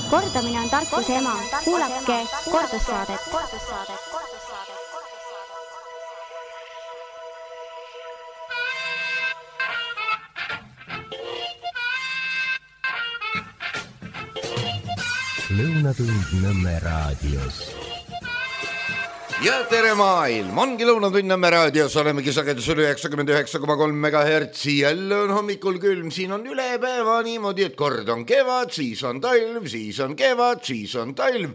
Kordamine on tarkuse ema. Kuulake kordussaadet. Lõunatund Nõmme raadios. Ja tere maailm, ongi Lõunatund Nõmme raadios, olemegi sagedusel 99,3 MHz, jälle on hommikul külm, siin on üle päeva niimoodi, et kord on kevad, siis on talv, siis on kevad, siis on talv.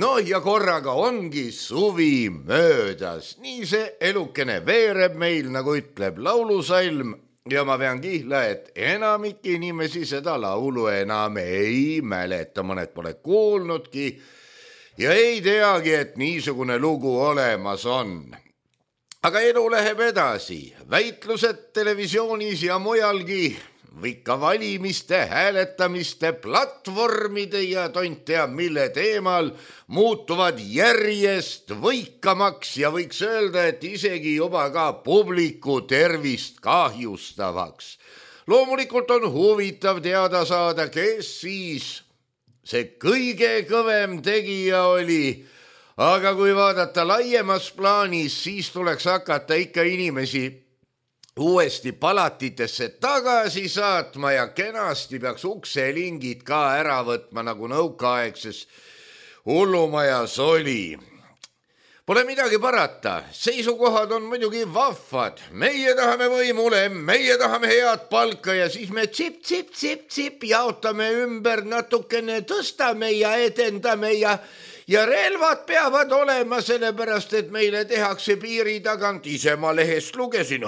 No ja korraga ongi suvi möödas, nii see elukene veereb meil, nagu ütleb laulusalm. Ja ma pean kihla, et enamik inimesi seda laulu enam ei mäleta, mõned pole kuulnudki ja ei teagi, et niisugune lugu olemas on. Aga elu läheb edasi, väitlused televisioonis ja mujalgi, ikka valimiste, hääletamiste, platvormide ja tont teab mille teemal muutuvad järjest võikamaks ja võiks öelda, et isegi juba ka publiku tervist kahjustavaks. Loomulikult on huvitav teada saada, kes siis see kõige kõvem tegija oli, aga kui vaadata laiemas plaanis, siis tuleks hakata ikka inimesi uuesti palatitesse tagasi saatma ja kenasti peaks ukselingid ka ära võtma, nagu nõukaaegses hullumajas oli. Pole midagi parata, seisukohad on muidugi vahvad. Meie tahame võimule, meie tahame head palka ja siis me tsip jaotame ümber, natukene tõstame ja edendame ja relvad peavad olema, sellepärast, et meile tehakse piiri tagant. Ise ma lehest lugesin,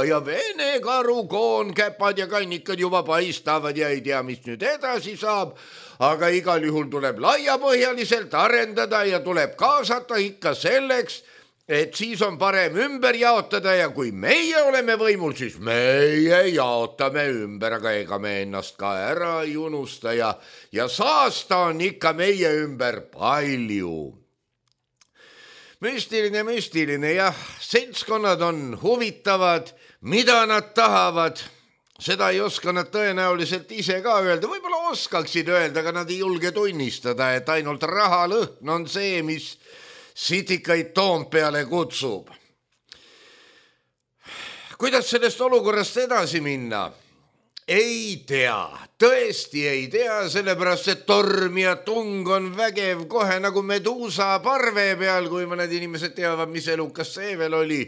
ja Vene karukoon, käpad ja kannikad juba paistavad ja ei tea, mis nüüd edasi saab. Aga igal juhul tuleb laiapõhjaliselt arendada ja tuleb kaasata ikka selleks, et siis on parem ümber jaotada ja kui meie oleme võimul, siis meie jaotame ümber, aga ega me ennast ka ära ei unusta ja saasta on ikka meie ümber palju. Müstiline, jah, seltskonnad on huvitavad, mida nad tahavad, seda ei oska nad tõenäoliselt ise ka öelda, võib-olla oskaksid öelda, aga nad ei julge tunnistada, et ainult rahalõhn on see, mis sitikaid Toompeale kutsub. Kuidas sellest olukorrast edasi minna? Ei tea, tõesti ei tea, sellepärast et torm ja tung on vägev kohe nagu meduusa parve peal, kui mõned inimesed teavad, mis elukas see veel oli.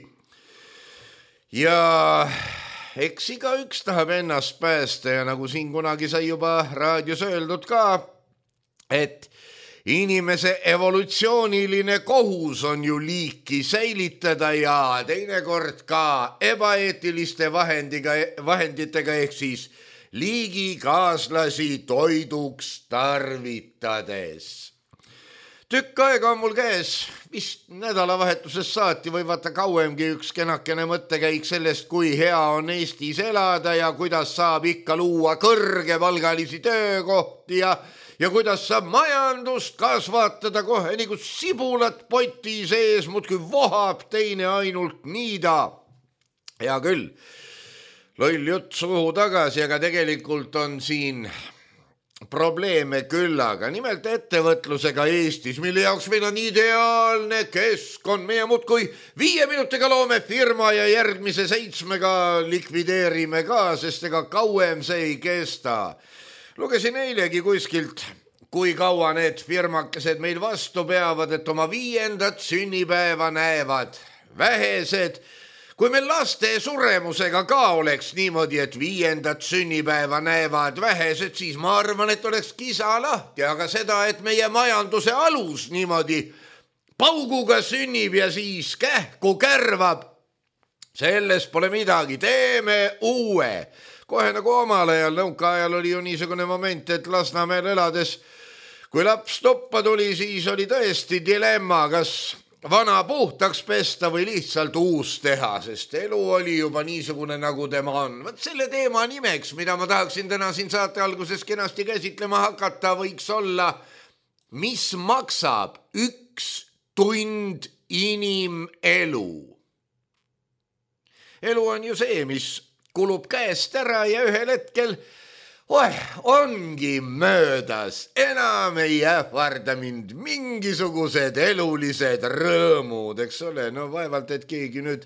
Ja eks igaüks tahab ennast päästa ja nagu siin kunagi sai juba raadios öeldud ka, et inimese evolutsiooniline kohus on ju liiki säilitada ja teinekord ka ebaeetiliste vahenditega ehk siis liigikaaslasi toiduks tarvitades. Tükk aega on mul käes, vist nädalavahetusest saati või vaata kauemgi üks kenakene mõttekäik sellest, kui hea on Eestis elada ja kuidas saab ikka luua kõrgepalgalisi töökohti ja kuidas saab majandust kasvatada kohe nagu sibulat poti sees, muudkui vohab teine ainult niida. Hea küll, loll jutt suhu tagasi, aga tegelikult on siin probleeme küllaga, nimelt ettevõtlusega Eestis, mille jaoks meil on ideaalne keskkond, meie muudkui 5 minutiga loome firma ja järgmise 7 likvideerime ka, sest ega kauem see ei kesta. Lugesin eilegi kuskilt, kui kaua need firmakesed meil vastu peavad, et oma 5. sünnipäeva näevad vähesed. Kui meil laste suremusega ka oleks niimoodi, et 5. sünnipäeva näevad vähesed, siis ma arvan, et oleks kisa lahti, aga seda, et meie majanduse alus niimoodi pauguga sünnib ja siis kähku kärvab, sellest pole midagi, teeme uue. Kohe nagu omal ajal, nõukaajal oli ju niisugune moment, et Lasnamäel elades, kui laps tuppa tuli, siis oli tõesti dilemma, kas vana puhtaks pesta või lihtsalt uus teha, sest elu oli juba niisugune, nagu tema on. Võt selle teema nimeks, mida ma tahaksin täna siin saate alguses kenasti käsitlema hakata, võiks olla, mis maksab 1 tund inimelu. Elu on ju see, mis kulub käest ära ja ühel hetkel ongi möödas, enam ei ähvarda mind mingisugused elulised rõõmud, eks ole, no vaevalt, et keegi nüüd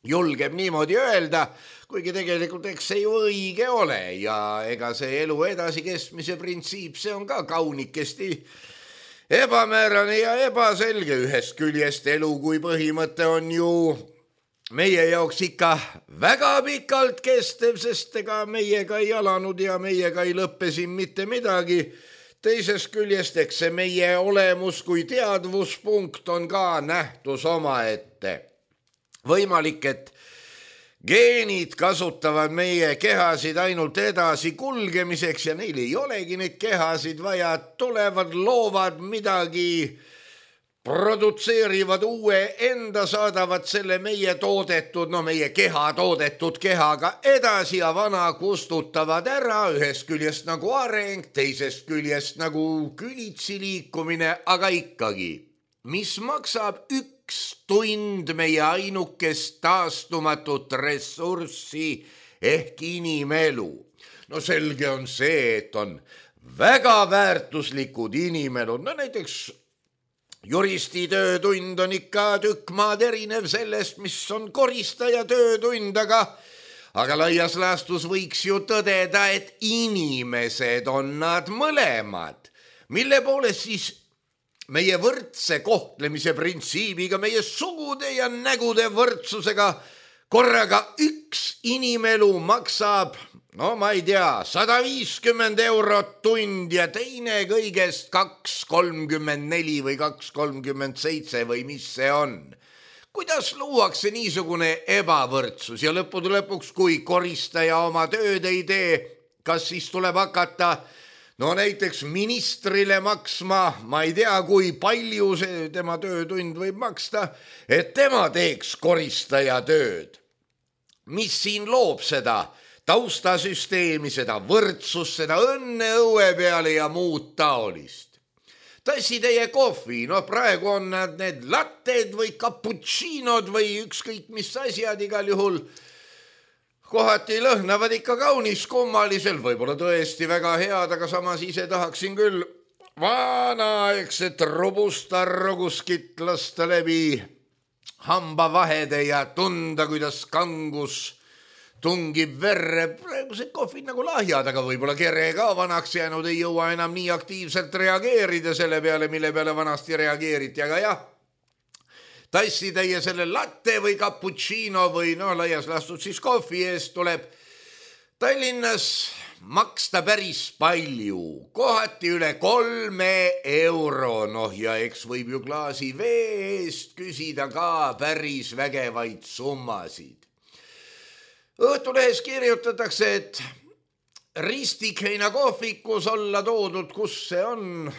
julgeb niimoodi öelda, kuigi tegelikult eks see ju õige ole ja ega see elu edasikestmise printsiip, see on ka kaunikesti ebamäärane ja ebaselge. Ühest küljest elu kui põhimõte on ju meie jaoks ikka väga pikalt kestev, sest ega meiega ei alanud ja meiega ei lõppe siin mitte midagi. Teisest küljest, eks see meie olemus kui teadvuspunkt on ka nähtus omaette. Võimalik, et geenid kasutavad meie kehasid ainult edasi kulgemiseks ja neil ei olegi neid kehasid vaja, tulevad, loovad midagi, produtseerivad uue enda, saadavad selle meie toodetud, meie keha toodetud kehaga edasi ja vana kustutavad ära, ühest küljest nagu areng, teisest küljest nagu külitsi liikumine, aga ikkagi, mis maksab 1 tund meie ainukest taastumatut ressurssi ehk inimelu. No selge on see, et on väga väärtuslikud inimelud, no näiteks juristi töötund on ikka tükk maad erinev sellest, mis on koristaja töötund, aga laias laastus võiks ju tõdeda, et inimesed on nad mõlemad, mille poolest siis meie võrdse kohtlemise printsiibiga, meie sugude ja nägude võrdsusega korraga 1 inimelu maksab, ma ei tea, 150 eurot tund ja teine kõigest 2,34 või 2,37 või mis see on. Kuidas luuakse niisugune ebavõrdsus ja lõppude lõpuks, kui koristaja oma tööd ei tee, kas siis tuleb hakata näiteks ministrile maksma, ma ei tea, kui palju see tema töötund võib maksta, et tema teeks koristaja tööd. Mis siin loob seda taustasüsteemi, seda võrdsust, seda õnne õue peale ja muud taolist? Tassitäie kohvi, praegu on need latted või cappuccinod või ükskõik mis asjad, igal juhul kohati lõhnavad ikka kaunis kummalisel, võib-olla tõesti väga head, aga samas ise tahaksin küll vanaegset robusta roguskit lasta läbi hambavahede ja tunda, kuidas kangus tungib verre. Praegused kohvid nagu lahjad, aga võib-olla kere ka vanaks jäänud, ei jõua enam nii aktiivselt reageerida selle peale, mille peale vanasti reageeriti, aga jah, tassitäie selle latte või cappuccino või laias laastud siis kohvi eest tuleb Tallinnas maksta päris palju, kohati üle 3 euro, ja eks võib ju klaasi vee eest küsida ka päris vägevaid summasid. Õhtulehes kirjutatakse, et Ristikheina kohvikus olla toodud, kus see on,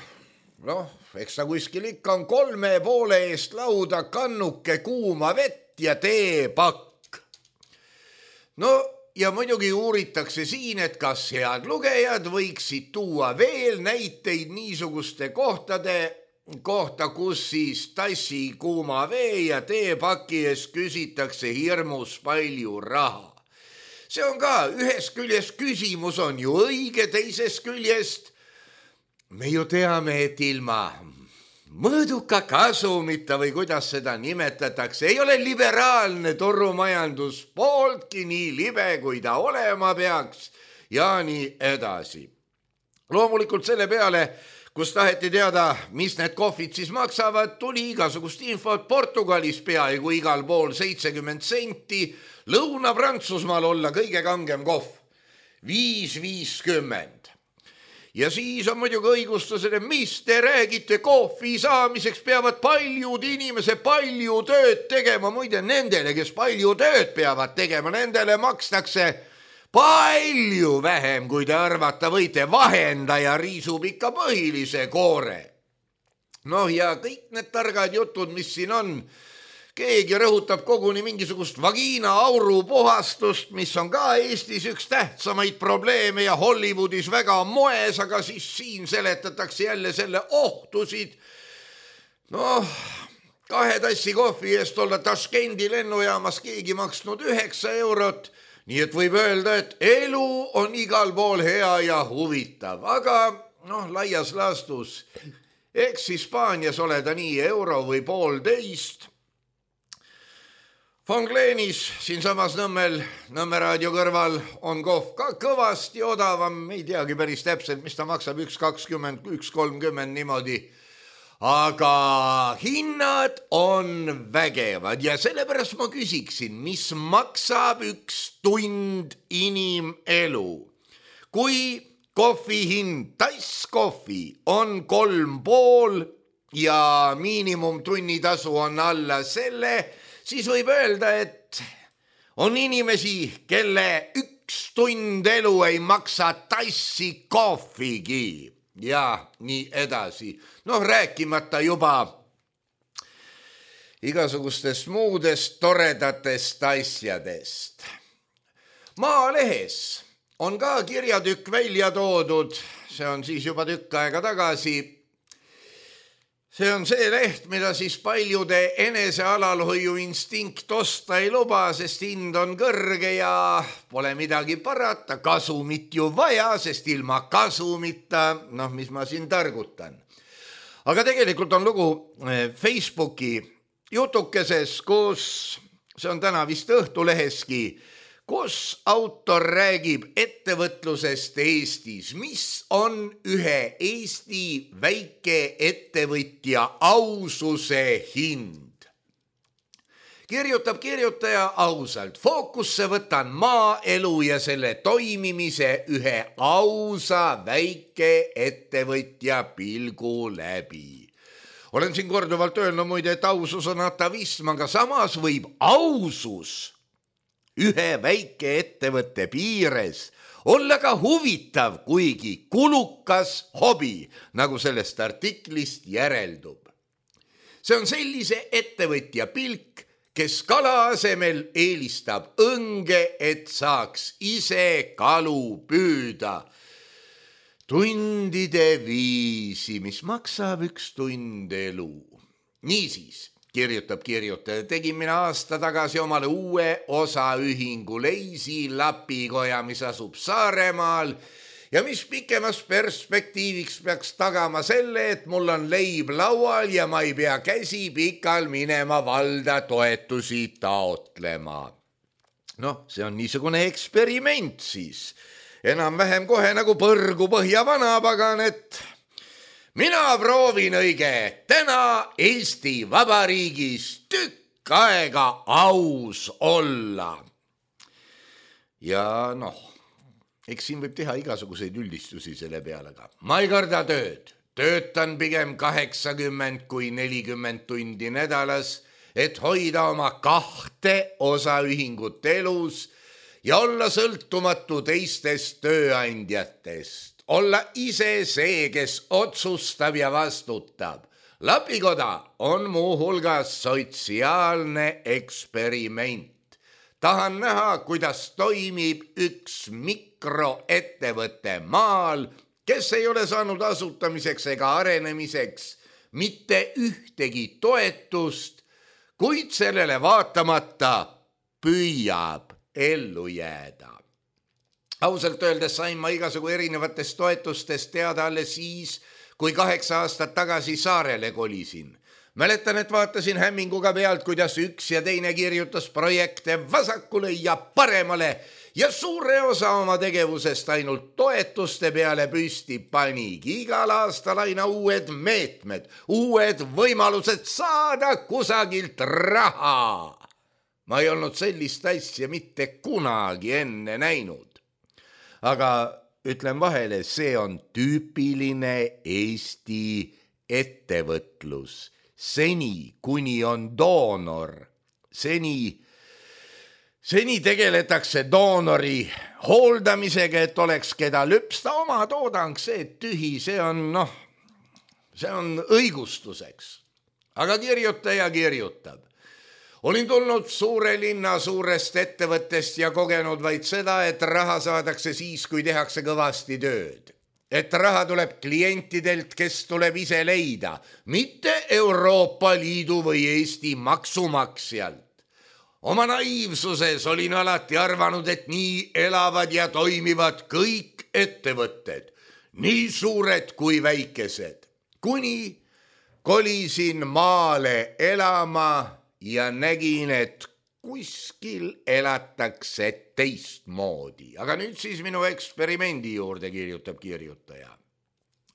eks ta kuskil ikka on 3,5 eest lauda kannuke kuuma vett ja teepakk. Ja muidugi uuritakse siin, et kas head lugejad võiksid tuua veel näiteid niisuguste kohta, kus siis tassi kuuma vee ja teepaki eest küsitakse hirmus palju raha. See on ka ühest küljest küsimus on ju õige, teisest küljest me ju teame, et ilma mõõduka kasumita või kuidas seda nimetatakse, ei ole liberaalne turumajandus pooltki nii libe, kui ta olema peaks ja nii edasi. Loomulikult selle peale, kus taheti teada, mis need kohvid siis maksavad, tuli igasugust infot. Portugalis peaaegu igal pool 70 senti, Lõuna-Prantsusmaal olla kõige kangem kohv 5,50. Ja siis on muidugi õigustused, mis te räägite, kohvi saamiseks peavad paljud inimesed palju tööd tegema. Muide, nendele, kes palju tööd peavad tegema, nendele makstakse palju vähem, kui te arvata võite. Vahendaja riisub ikka põhilise koore. Ja kõik need targad jutud, mis siin on, keegi rõhutab koguni mingisugust vagiina auru puhastust, mis on ka Eestis üks tähtsamaid probleeme ja Hollywoodis väga moes, aga siis siin seletatakse jälle selle ohtusid. 2 tassi kohvi eest olla Taškendi lennujaamas keegi maksnud 9 eurot nii et võib öelda, et elu on igal pool hea ja huvitav, aga laias laastus, eks Hispaanias ole ta nii euro või 1,5. Von Gleenis siinsamas Nõmme raadio kõrval on kohv ka kõvasti odavam, ei teagi päris täpselt, mis ta maksab, 1,20, 1,30 niimoodi. Aga hinnad on vägevad ja sellepärast ma küsiksin, mis maksab 1 tund inimelu. Kui kohvi hind, tasskohvi on 3,5 ja miinimumtunnitasu on alla selle, siis võib öelda, et on inimesi, kelle 1 tund elu ei maksa tassi kohvigi ja nii edasi. Rääkimata juba igasugustest muudest toredatest asjadest. Maalehes on ka kirjatükk välja toodud, see on siis juba tükk aega tagasi. See on see leht, mida siis paljude enesealalhoiu instinkt osta ei luba, sest hind on kõrge ja pole midagi parata, kasumit ju vaja, sest ilma kasumita, mis ma siin targutan. Aga tegelikult on lugu Facebooki jutukeses, kus, see on täna vist Õhtuleheski, kus autor räägib ettevõtlusest Eestis, mis on ühe Eesti väikeettevõtja aususe hind. Kirjutab kirjutaja ausalt, fookusse võtan maaelu ja selle toimimise ühe ausa väikeettevõtja pilgu läbi. Olen siin korduvalt öelnud muide, et ausus on atavism, aga samas võib ausus ühe väikeettevõtte piires olla ka huvitav, kuigi kulukas hobi, nagu sellest artiklist järeldub. See on sellise ettevõtja pilk, kes kala asemel eelistab õnge, et saaks ise kalu püüda. Tundide viisi, mis maksab 1 tund elu. Niisiis, kirjutab kirjutaja, tegin mina aasta tagasi omale uue osaühingu Leisi lapikoja, mis asub Saaremaal ja mis pikemas perspektiiviks peaks tagama selle, et mul on leib laual ja ma ei pea käsi pikal minema valda toetusi taotlema. See on niisugune eksperiment siis. Enam-vähem kohe nagu põrgu põhja vanapagan, et mina proovin õige täna Eesti Vabariigis tükk aega aus olla. Ja eks siin võib teha igasuguseid üldistusi selle peale ka. Ma ei karda tööd. Töötan pigem 80 kui 40 tundi nädalas, et hoida oma 2 osaühingut elus ja olla sõltumatu teistest tööandjatest. Olla ise see, kes otsustab ja vastutab. Lapikoda on muu hulgas sotsiaalne eksperiment. Tahan näha, kuidas toimib üks mikroettevõte maal, kes ei ole saanud asutamiseks ega arenemiseks mitte ühtegi toetust, kuid sellele vaatamata püüab ellu jääda. Ausalt öeldes sain ma igasugu erinevatest toetustest teada alles siis, kui 8 aastat tagasi Saarele kolisin. Mäletan, et vaatasin hämminguga pealt, kuidas üks ja teine kirjutas projekte vasakule ja paremale ja suure osa oma tegevusest ainult toetuste peale püsti panigi. Igal aastal aina uued meetmed, uued võimalused saada kusagilt raha. Ma ei olnud sellist asja mitte kunagi enne näinud. Aga ütlen vahele, see on tüüpiline Eesti ettevõtlus. Seni, kuni on doonor, seni tegeletakse doonori hooldamisega, et oleks keda lüpsta oma toodang, see tühi, see on õigustuseks. Aga kirjutaja kirjutab. Olin tulnud suure linna suurest ettevõttest ja kogenud vaid seda, et raha saadakse siis, kui tehakse kõvasti tööd. Et raha tuleb klientidelt, kes tuleb ise leida, mitte Euroopa Liidu või Eesti maksumaksjalt. Oma naiivsuses olin alati arvanud, et nii elavad ja toimivad kõik ettevõtted, nii suured kui väikesed. Kuni kolisin maale elama ja nägin, et kuskil elatakse teistmoodi. Aga nüüd siis minu eksperimendi juurde kirjutab kirjutaja.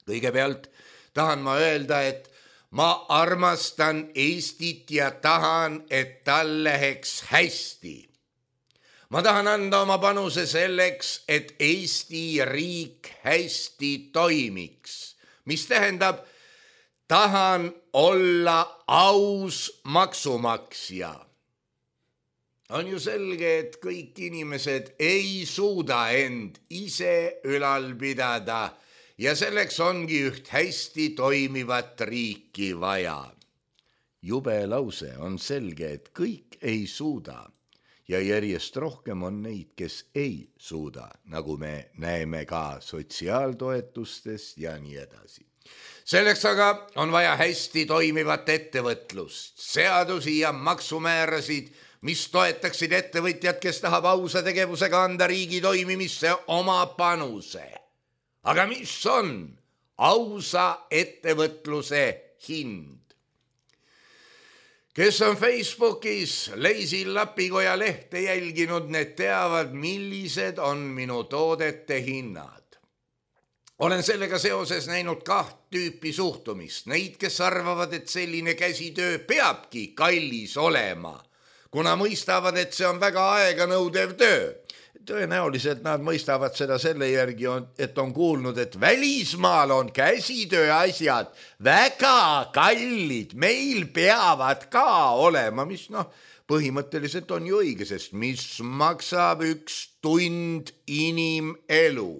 Kõigepealt tahan ma öelda, et ma armastan Eestit ja tahan, et tal läheks hästi. Ma tahan anda oma panuse selleks, et Eesti riik hästi toimiks, mis tähendab, tahan olla aus maksumaksja. On ju selge, et kõik inimesed ei suuda end ise ülal pidada ja selleks ongi üht hästi toimivat riiki vaja. Jube lause, on selge, et kõik ei suuda ja järjest rohkem on neid, kes ei suuda, nagu me näeme ka sotsiaaltoetustest ja nii edasi. Selleks aga on vaja hästi toimivat ettevõtlust, seadusi ja maksumäärasid, mis toetaksid ettevõtjad, kes tahab ausa tegevusega anda riigi toimimisse oma panuse. Aga mis on ausa ettevõtluse hind? Kes on Facebookis Leisi Lapikoja lehte jälginud, need teavad, millised on minu toodete hinnad. Olen sellega seoses näinud 2 tüüpi suhtumist. Neid, kes arvavad, et selline käsitöö peabki kallis olema, kuna mõistavad, et see on väga aeganõudev töö. Tõenäoliselt nad mõistavad seda selle järgi, et on kuulnud, et välismaal on käsitöö asjad väga kallid, meil peavad ka olema, mis põhimõtteliselt on ju õige, sest mis maksab 1 tund inimelu.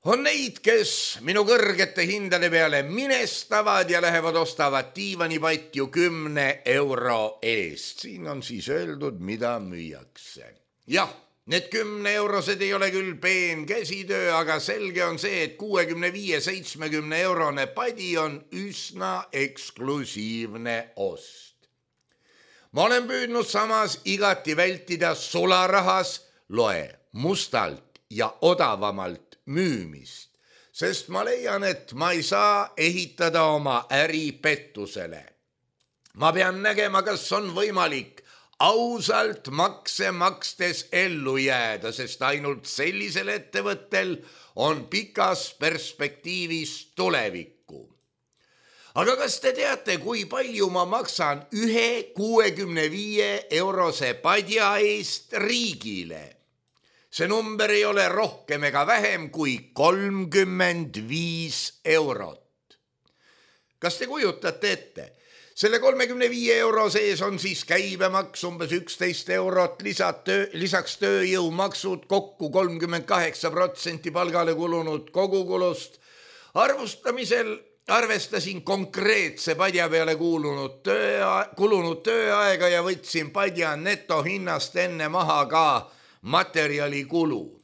On neid, kes minu kõrgete hindade peale minestavad ja lähevad ostavad diivanipatju 10 euro eest. Siin on siis öeldud, mida müüakse. Jah, need 10 eurosed ei ole küll peen käsitöö, aga selge on see, et 65-70 eurone padi on üsna eksklusiivne ost. Ma olen püüdnud samas igati vältida sularahas, loe mustalt ja odavamalt müümist, sest ma leian, et ma ei saa ehitada oma äri pettusele. Ma pean nägema, kas on võimalik ausalt makse makstes ellu jääda, sest ainult sellisel ettevõttel on pikas perspektiivis tulevikku. Aga kas te teate, kui palju ma maksan 1 65 eurose padja eest riigile? See number ei ole rohkem ega vähem kui 35 eurot. Kas te kujutate ette? Selle 35 euro sees on siis käibemaks umbes 11 eurot, lisaks tööjõumaksud kokku 38% palgale kulunud kogukulust. Arvustamisel arvestasin konkreetse padja peale kulunud tööaega ja võtsin padja netohinnast enne maha ka materjalikulu.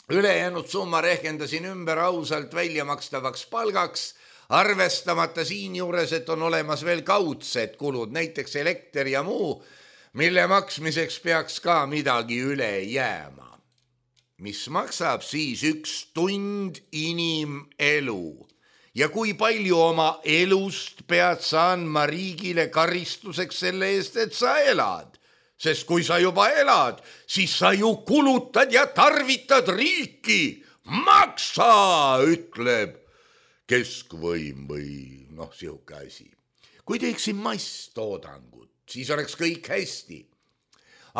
Ülejäänud summa rehkendasin ümber ausalt välja makstavaks palgaks, arvestamata siin juures, et on olemas veel kaudsed kulud, näiteks elekter ja muu, mille maksmiseks peaks ka midagi üle jääma. Mis maksab siis 1 tund inimelu? Ja kui palju oma elust pead sa andma riigile karistuseks selle eest, et sa elad? Sest kui sa juba elad, siis sa ju kulutad ja tarvitad riiki. Maksa, ütleb keskvõim või sihuke asi. Kui teeksin masstoodangut, siis oleks kõik hästi.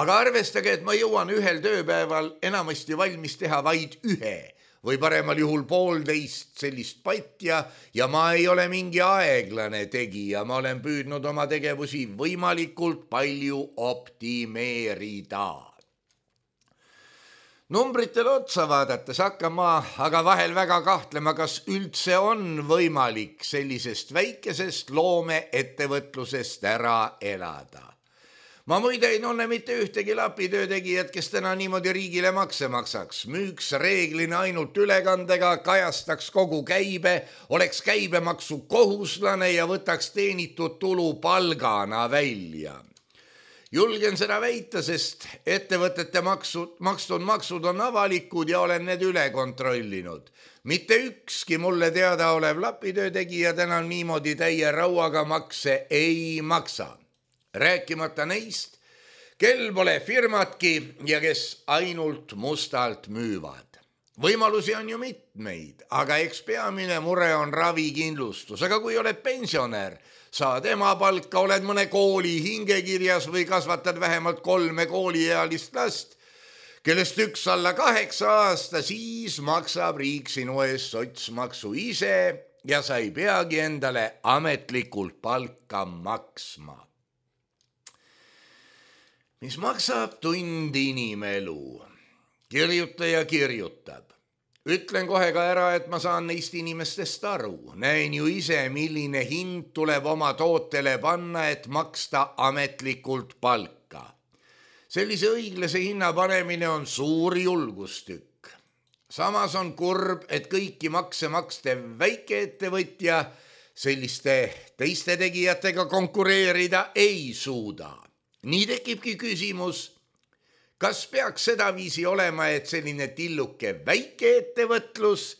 Aga arvestage, et ma jõuan ühel tööpäeval enamasti valmis teha vaid 1 või paremal juhul 1,5 sellist patja ja ma ei ole mingi aeglane tegija. Ma olen püüdnud oma tegevusi võimalikult palju optimeerida. Numbritele otsa vaadates hakkan ma aga vahel väga kahtlema, kas üldse on võimalik sellisest väikesest loomeettevõtlusest ära elada. Ma muide ei tunne mitte ühtegi lapitöötegijat, kes täna niimoodi riigile makse maksaks. Müüks reeglina ainult ülekandega, kajastaks kogu käibe, oleks käibemaksu kohuslane ja võtaks teenitud tulu palgana välja. Julgen seda väita, sest ettevõtete makstud maksud on avalikud ja olen need üle kontrollinud. Mitte ükski mulle teada olev lapitöötegija enam niimoodi täie rauaga makse ei maksa. Rääkimata neist, kel pole firmatki ja kes ainult mustalt müüvad. Võimalusi on ju mitmeid, aga eks peamine mure on ravikindlustus. Aga kui oled pensionär, saad emapalka, oled mõne kooli hingekirjas või kasvatad vähemalt 3 kooliealist last, kellest üks alla 8 aasta, siis maksab riik sinu eest sotsmaksu ise ja sa ei peagi endale ametlikult palka maksma. Mis maksab tund inimelu? Kirjutaja kirjutab. Ütlen kohe ka ära, et ma saan neist inimestest aru. Näen ju ise, milline hind tuleb oma tootele panna, et maksta ametlikult palka. Sellise õiglase hinna panemine on suur julgustükk. Samas on kurb, et kõiki makse makstev väikeettevõtja selliste teiste tegijatega konkureerida ei suuda. Nii tekibki küsimus, kas peaks sedaviisi olema, et selline tilluke väikeettevõtlus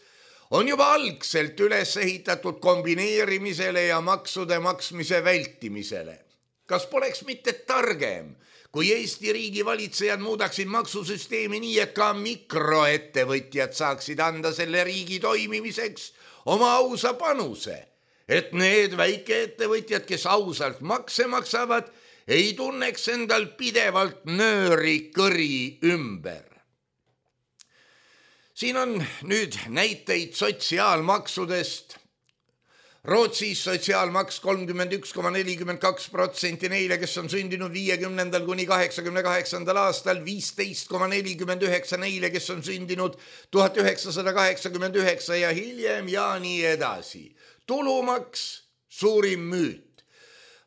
on juba algselt üles ehitatud kombineerimisele ja maksude maksmise vältimisele? Kas poleks mitte targem, kui Eesti riigi valitsejad muudaksid maksusüsteemi nii, et ka mikroettevõtjad saaksid anda selle riigi toimimiseks oma ausa panuse, et need väikeettevõtjad, kes ausalt makse maksavad, ei tunneks endal pidevalt nööri kõri ümber. Siin on nüüd näiteid sotsiaalmaksudest. Rootsis sotsiaalmaks 31,42% neile, kes on sündinud 50. kuni 88. aastal, 15,49% neile, kes on sündinud 1989 ja hiljem ja nii edasi. Tulumaks, suurim müüt.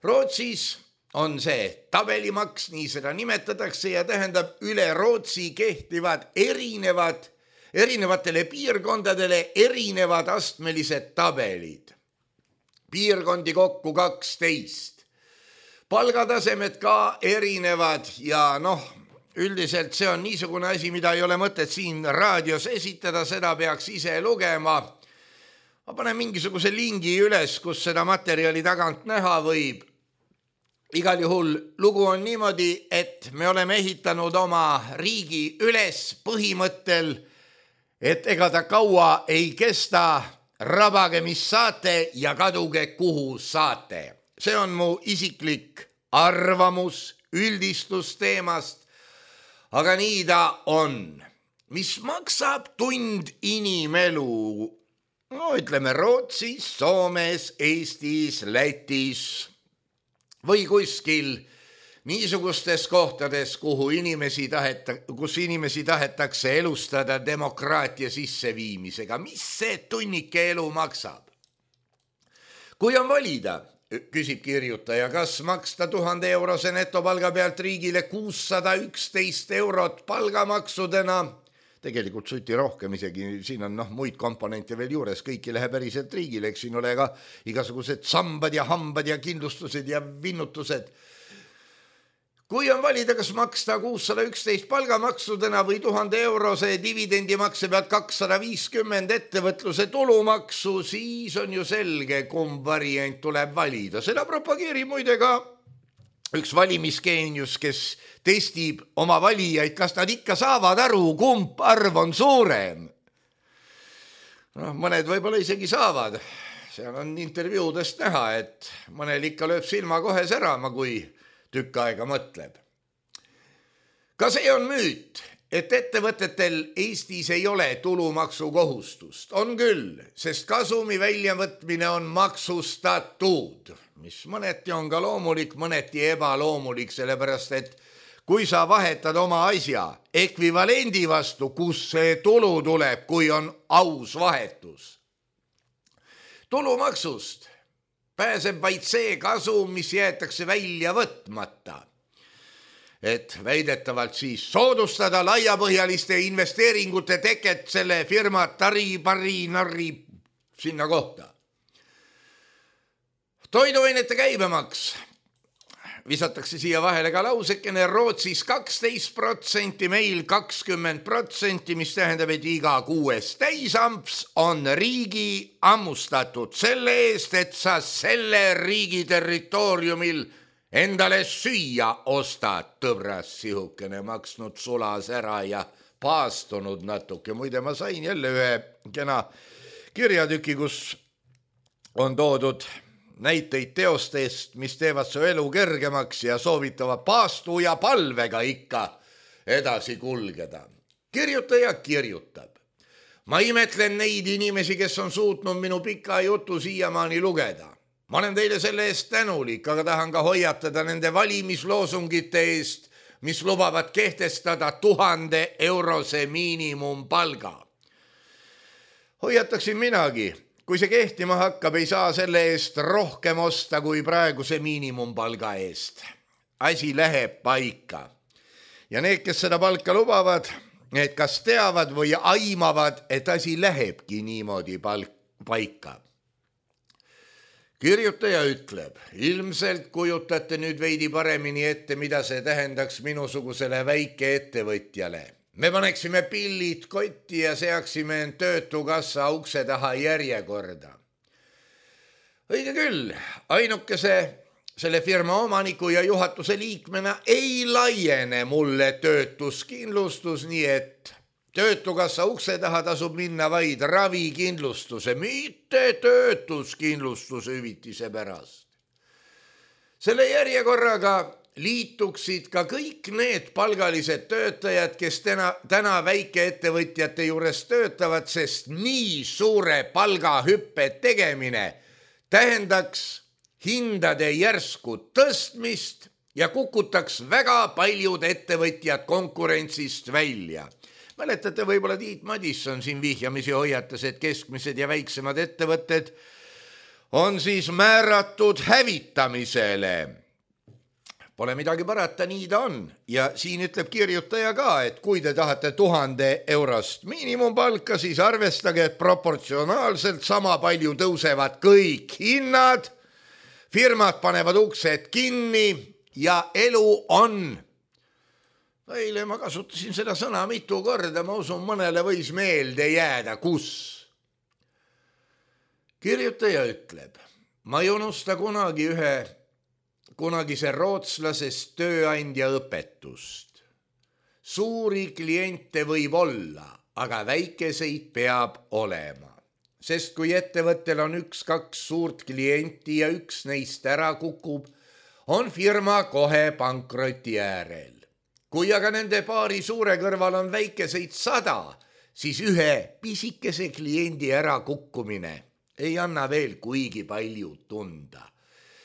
Rootsis on see tabelimaks, nii seda nimetatakse, ja tähendab üle Rootsi kehtivad erinevatele piirkondadele erinevad astmelised tabelid. Piirkondi kokku 12. Palgatasemed ka erinevad ja üldiselt see on niisugune asi, mida ei ole mõtet siin raadios esitada, seda peaks ise lugema. Ma panen mingisuguse lingi üles, kus seda materjali tagant näha võib. Igal juhul lugu on niimoodi, et me oleme ehitanud oma riigi üles põhimõttel, et ega ta kaua ei kesta, rabage mis saate ja kaduge kuhu saate. See on mu isiklik arvamus üldistus teemast, aga nii ta on. Mis maksab tund inimelu? Ütleme Rootsis, Soomes, Eestis, Lätis või kuskil niisugustes kohtades, kus inimesi tahetakse elustada demokraatia sisseviimisega. Mis see tunnike elu maksab? Kui on valida, küsib kirjutaja, kas maksta 1000 eurose netopalga pealt riigile 611 eurot palgamaksudena, tegelikult suti rohkem isegi, siin on muid komponente veel juures, kõiki läheb päriselt riigile, eks siin ole ka igasugused sambad ja hambad ja kindlustused ja vinnutused. Kui on valida, kas maksta 611 palgamaksudena või 1000 eurose dividendimakse pealt 250 ettevõtluse tulumaksu, siis on ju selge, kumb variant tuleb valida. Seda propageerib muide ka üks valimisgeenius, kes testib oma valijaid, kas nad ikka saavad aru, kumb arv on suurem. Mõned võib-olla isegi saavad. Seal on intervjuudest näha, et mõnel ikka lööb silma kohe särama, kui tükk aega mõtleb. Ka see on müüt, et ettevõtetel Eestis ei ole tulumaksu kohustust. On küll, sest kasumi väljavõtmine on maksustatud, mis mõneti on ka loomulik, mõneti ebaloomulik, sellepärast et kui sa vahetad oma asja ekvivalendi vastu, kus see tulu tuleb, kui on aus vahetus. Tulumaksust pääseb vaid see kasum, mis jäetakse välja võtmata. Et väidetavalt siis soodustada laiapõhjaliste investeeringute teket selle firma tari-pari-narri sinna kohta. Toiduainete käibemaks. visatakse siia vahele ka lausekene, Rootsis 12%, meil 20%, mis tähendab, et iga 6. täisamps on riigi ammustatud selle eest, et sa selle riigi territooriumil endale süüa ostad. Tõbras sihukene maksnud sulas ära ja paastunud natuke. Muide, ma sain jälle ühe kena kirjatüki, kus on toodud näiteid teostest, mis teevad su elu kergemaks ja soovitavad paastu ja palvega ikka edasi kulgeda. Kirjutaja kirjutab. Ma imetlen neid inimesi, kes on suutnud minu pika jutu siiamaani lugeda. Ma olen teile selle eest tänulik, aga tahan ka hoiatada nende valimisloosungite eest, mis lubavad kehtestada 1000 eurose miinimumpalga. Hoiataksin minagi. Kui see kehtima hakkab, ei saa selle eest rohkem osta kui praeguse miinimumpalga eest. Asi läheb paika. Ja need, kes seda palka lubavad, need kas teavad või aimavad, et asi lähebki niimoodi paika. Kirjutaja ütleb, ilmselt kujutate nüüd veidi paremini ette, mida see tähendaks minusugusele väikeettevõtjale. Me paneksime pillid kotti ja seaksime end töötukassa ukse taha järjekorda. Õige küll, ainukese selle firma omaniku ja juhatuse liikmena ei laiene mulle töötuskindlustus, nii et töötukassa ukse taha tasub minna vaid ravikindlustuse, mitte töötuskindlustuse hüvitise pärast. Selle järjekorraga liituksid ka kõik need palgalised töötajad, kes täna väikeettevõtjate juures töötavad, sest nii suure palgahüppe tegemine tähendaks hindade järsku tõstmist ja kukutaks väga paljud ettevõtjad konkurentsist välja. Mäletate, võib-olla Tiit Madisson siin vihjamisi hoiatas, et keskmised ja väiksemad ettevõtted on siis määratud hävitamisele. Pole midagi parata, nii ta on. Ja siin ütleb kirjutaja ka, et kui te tahate 1000 eurost miinimumpalka, siis arvestage, et proportsionaalselt sama palju tõusevad kõik hinnad, firmad panevad uksed kinni ja elu on. Eile ma kasutasin seda sõna mitu korda, ma usun, mõnele võis meelde jääda, kus. Kirjutaja ütleb, ma ei unusta kunagise rootslasest tööandja õpetust. Suuri kliente võib olla, aga väikeseid peab olema. Sest kui ettevõttel on 1-2 suurt klienti ja üks neist ära kukub, on firma kohe pankroti äärel. Kui aga nende paari suure kõrval on väikeseid 100, siis ühe pisikese kliendi ära kukkumine ei anna veel kuigi palju tunda.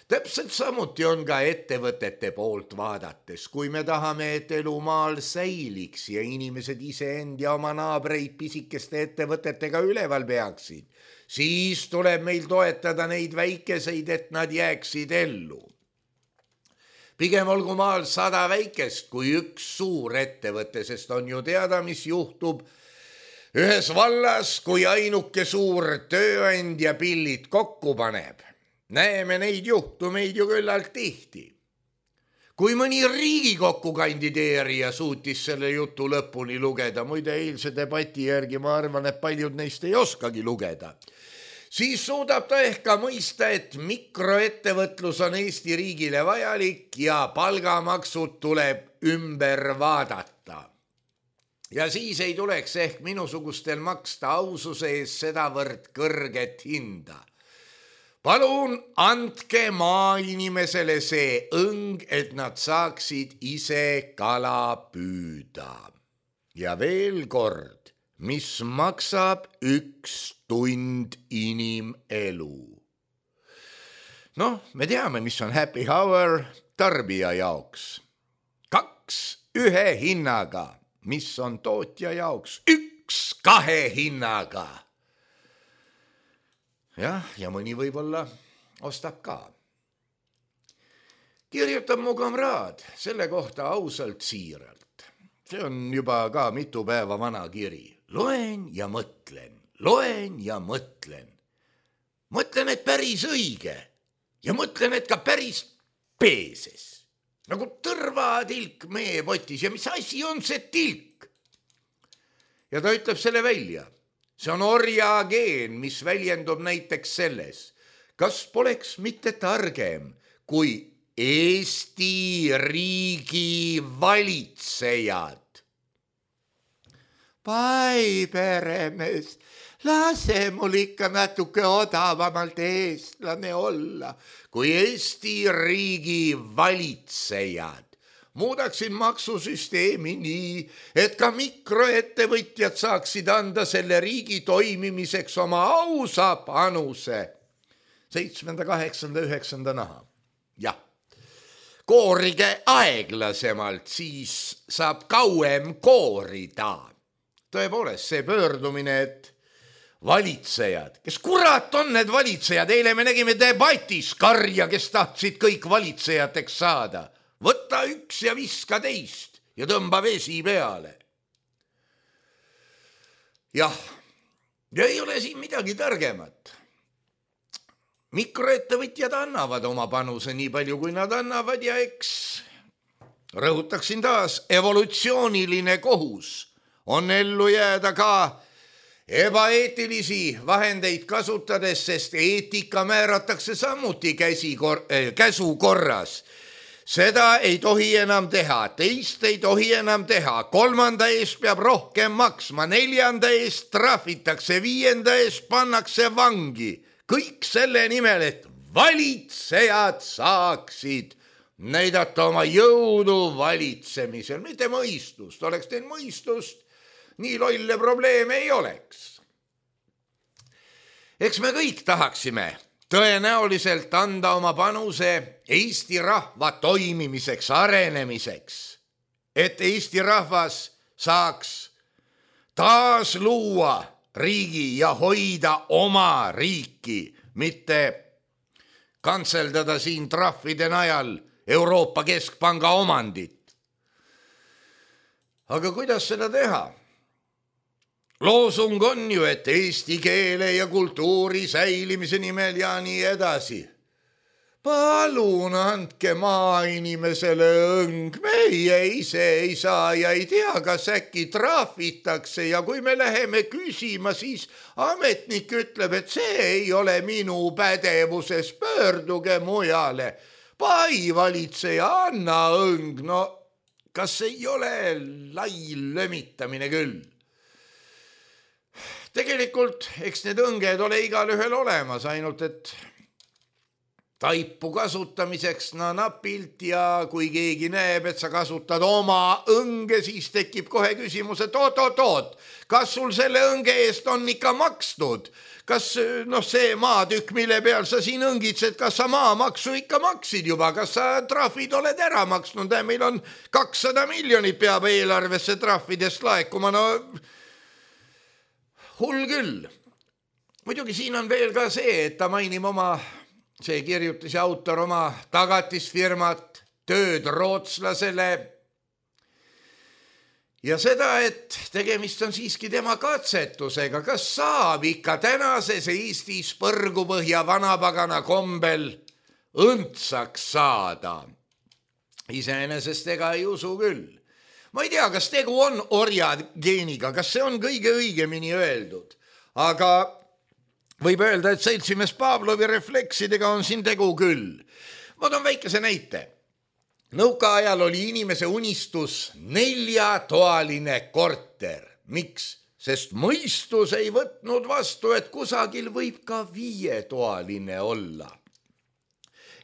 Täpselt samuti on ka ettevõtete poolt vaadates, kui me tahame, et elu maal säiliks ja inimesed iseend ja oma naabreid pisikeste ettevõtetega üleval peaksid, siis tuleb meil toetada neid väikeseid, et nad jääksid ellu. Pigem olgu maal 100 väikest kui üks suur ettevõte, sest on ju teada, mis juhtub ühes vallas, kui ainuke suur tööandja pillid kokku paneb. Näeme neid juhtumeid ju küllalt tihti. Kui mõni Riigikokku kandideerija suutis selle jutu lõpuni lugeda, muide eilse debati järgi ma arvan, et paljud neist ei oskagi lugeda, siis suudab ta ehk ka mõista, et mikroettevõtlus on Eesti riigile vajalik ja palgamaksud tuleb ümber vaadata. Ja siis ei tuleks ehk minusugustel maksta aususe ees sedavõrd kõrget hinda. Palun andke maainimesele see õng, et nad saaksid ise kala püüda. Ja veel kord, mis maksab 1 tund inimelu. Me teame, mis on happy hour tarbija jaoks. 2 ühe hinnaga, mis on tootja jaoks 1 2 hinnaga. Ja mõni võib-olla ostab ka. Kirjutab mu kamraad selle kohta ausalt siiralt. See on juba ka mitu päeva vana kiri. Loen ja mõtlen. Mõtlen, et päris õige ja mõtlen, et ka päris peeses. nagu tõrvatilk meepotis ja mis asi on see tilk? Ja ta ütleb selle välja. See on orjageen, mis väljendub näiteks selles. Kas poleks mitte targem, kui Eesti riigi valitsejad? Pai peremees, lase mul ikka natuke odavamalt eestlane olla, kui Eesti riigi valitsejad muudaksin maksusüsteemi nii, et ka mikroettevõtjad saaksid anda selle riigi toimimiseks oma ausa panuse. 7., 8., 9. naha. Jah, koorige aeglasemalt, siis saab kauem koorida. Tõepoolest, see pöördumine, et valitsejad, kes kurat on need valitsejad, eile me nägime debatis karja, kes tahtsid kõik valitsejateks saada. Võta üks ja viska teist ja tõmba vesi peale. Jah, ja ei ole siin midagi targemat. Mikroettevõtjad annavad oma panuse nii palju, kui nad annavad ja eks rõhutaksin taas, evolutsiooniline kohus on ellu jääda ka ebaeetilisi vahendeid kasutades, sest eetika määratakse samuti käsu korras. Seda ei tohi enam teha, teist ei tohi enam teha, 3. eest peab rohkem maksma, 4. eest trahvitakse, 5. eest pannakse vangi. Kõik selle nimel, et valitsejad saaksid näidata oma jõudu valitsemisel, mitte mõistust. Oleks teil mõistust, nii lolle probleeme ei oleks. Eks me kõik tahaksime tõenäoliselt anda oma panuse Eesti rahva toimimiseks, arenemiseks, et Eesti rahvas saaks taas luua riigi ja hoida oma riiki, mitte kantseldada siin trahvide najal Euroopa Keskpanga omandit. Aga kuidas seda teha? Loosung on ju, et eesti keele ja kultuuri säilimise nimel ja nii edasi. Palun andke maainimesele õng, meie ise ei saa ja ei tea, kas äkki trahvitakse ja kui me läheme küsima, siis ametnik ütleb, et see ei ole minu pädevuses, pöörduge mujale. Pai valitseja, anna õng, no kas ei ole lai lömitamine küll? Tegelikult, eks need õnged ole igal ühel olemas, ainult et taipu kasutamiseks napilt ja kui keegi näeb, et sa kasutad oma õnge, siis tekib kohe küsimus, et oot, kas sul selle õnge eest on ikka makstud? Kas see maatükk, mille peal sa siin õngitsed, kas sa maamaksu ikka maksid juba? Kas sa trahvid oled ära maksnud? Meil on 200 miljonit peab eelarvesse trahvidest laekuma, no hull küll. Muidugi siin on veel ka see, et ta mainib see kirjutas ja autor oma tagatisfirmat, tööd rootslasele ja seda, et tegemist on siiski tema katsetusega, kas saab ikka tänases Eestis põrgupõhja vanapagana kombel õndsaks saada. Iseenesest ega ei usu küll. Ma ei tea, kas tegu on orjageeniga, kas see on kõige õigemini öeldud, aga võib öelda, et seltsimees Pavlovi refleksidega on siin tegu küll. Ma toon väikese näite. Nõukaajal oli inimese unistus 4-toaline korter. Miks? Sest mõistus ei võtnud vastu, et kusagil võib ka 5-toaline olla.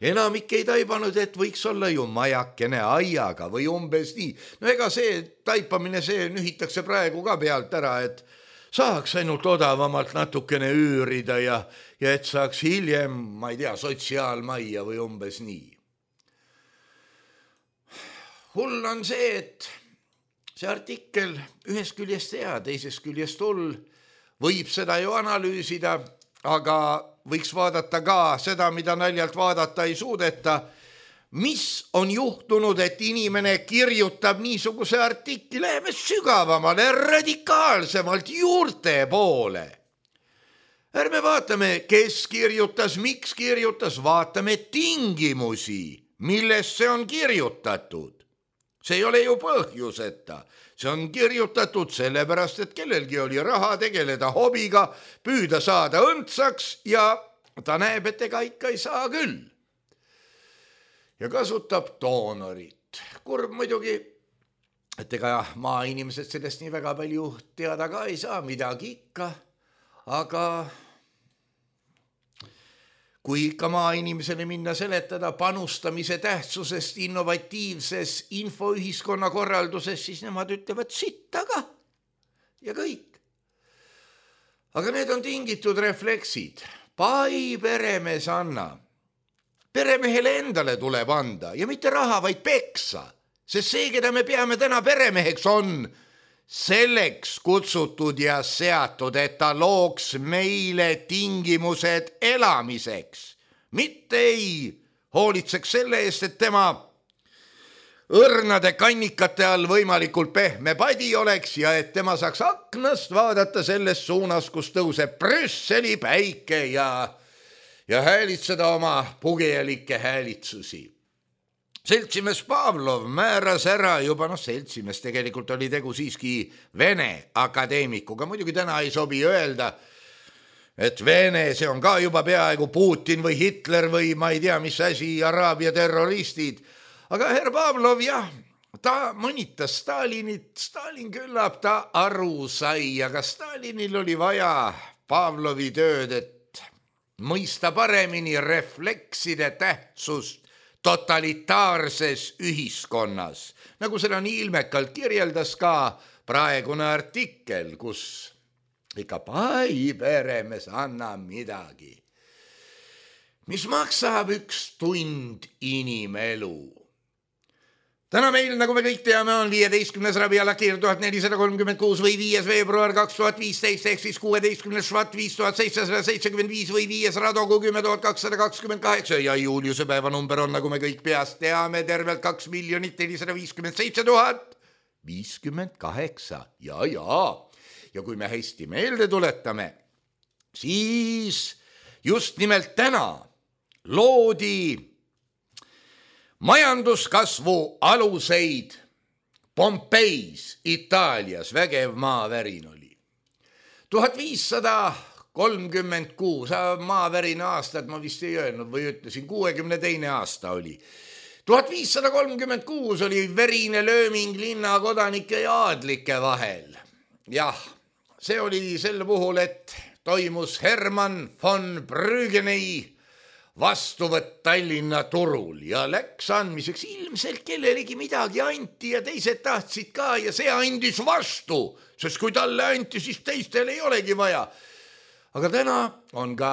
Enamik ei taibanud, et võiks olla ju majakene aiaga või umbes nii. No ega see taipamine, see nühitakse praegu ka pealt ära, et saaks ainult odavamalt natukene üürida ja et saaks hiljem, ma ei tea, sotsiaalmajja või umbes nii. Hull on see, et see artikkel ühest küljest hea, teisest küljest hull, võib seda ju analüüsida, aga võiks vaadata ka seda, mida naljalt vaadata ei suudeta. Mis on juhtunud, et inimene kirjutab niisuguse artikli, läheme sügavamale, radikaalsemalt juurte poole. Ärme vaatame, kes kirjutas, miks kirjutas, vaatame tingimusi, millest see on kirjutatud. See ei ole ju põhjuseta. See on kirjutatud sellepärast, et kellelgi oli raha tegeleda hobiga, püüda saada õndsaks ja ta näeb, et ega ikka ei saa küll. Ja kasutab doonorit. Kurb muidugi, et ega maainimesed sellest nii väga palju teada ka ei saa, midagi ikka, aga kui ikka maainimesele minna seletada panustamise tähtsusest innovatiivses infoühiskonna korralduses, siis nemad ütlevad sittaga ja kõik. Aga need on tingitud refleksid. Pai peremees anna. Peremehele endale tuleb anda ja mitte raha, vaid peksa, sest see, keda me peame täna peremeheks, on selleks kutsutud ja seatud, et ta looks meile tingimused elamiseks, mitte ei hoolitseks selle eest, et tema õrnade kannikate all võimalikult pehme padi oleks ja et tema saaks aknast vaadata selles suunas, kus tõuseb Brüsseli päike ja häälitseda oma pugejalikke häälitsusi. Seltsimees Pavlov määras ära juba, seltsimees tegelikult oli tegu siiski Vene akadeemikuga, muidugi täna ei sobi öelda, et Vene, see on ka juba peaaegu Putin või Hitler või ma ei tea, mis asi, Araabia terroristid, aga herr Pavlov, jah, ta mõnitas Stalinit, Stalin küllap ta aru sai, aga Stalinil oli vaja Pavlovi tööd, et mõista paremini reflekside tähtsust totalitaarses ühiskonnas, nagu seda nii ilmekalt kirjeldas ka praegune artikkel, kus ikka pai peremees anna midagi, mis maksab 1 tund inimelu. Täna meil, nagu me kõik teame, on 15. Rabiul Akir 1436 või 5. veebruar 2015 ehk siis 16. Švat 5775 või 5. Radogu 10 228 ja Juliuse päevanumber on, nagu me kõik peast teame, tervelt 2 457 058. Ja kui me hästi meelde tuletame, siis just nimelt täna loodi majanduskasvu aluseid Pompeis, Itaalias, vägev maavärin oli. 1536, maavärina aastat ma vist ei öelnud või ütlesin, 62. aasta oli. 1536 oli verine lööming linna kodanike ja aadlike vahel. Jah, see oli selle puhul, et toimus Hermann von Brügenei vastuvõtt Tallinna turul ja läks andmiseks, ilmselt kellelegi midagi anti ja teised tahtsid ka ja see andis vastu, sest kui talle anti, siis teistel ei olegi vaja. Aga täna on ka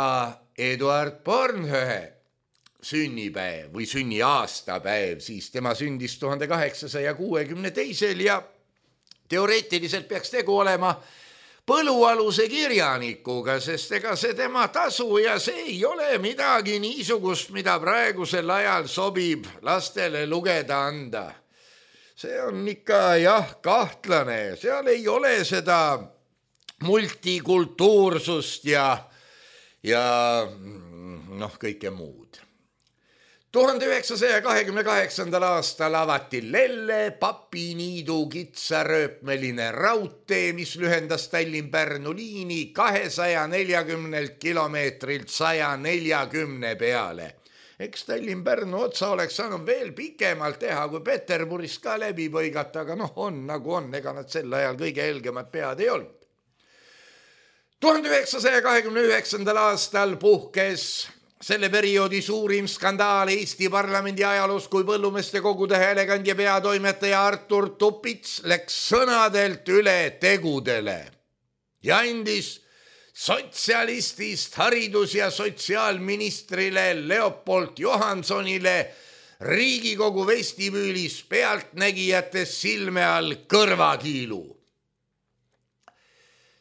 Eduard Bornhöhe sünnipäev või sünniaastapäev, siis tema sündis 1862 ja teoreetiliselt peaks tegu olema põlualuse kirjanikuga, sest ega see tema tasu ja see ei ole midagi niisugust, mida praegusel ajal sobib lastele lugeda anda. See on ikka kahtlane, seal ei ole seda multikultuursust ja kõike muud. 1928. aastal avati Lelle Papiniidu kitsarööpmeline raudtee, mis lühendas Tallinn-Pärnu liini 240 kilomeetrilt 140 peale. Eks Tallinn-Pärnu otsa oleks saanud veel pikemalt teha, kui Peterburist ka läbi põigata, aga on nagu on, ega nad sel ajal kõige helgemad pead ei olnud. 1929. aastal puhkes selle perioodi suurim skandaal Eesti parlamendi ajaloos, kui põllumeeste kogude häälekandja peatoimetaja Artur Tupits läks sõnadelt üle tegudele ja andis sotsialistist haridus- ja sotsiaalministrile Leopold Johansonile Riigikogu vestibüülis pealtnägijates silme all kõrvakiilu.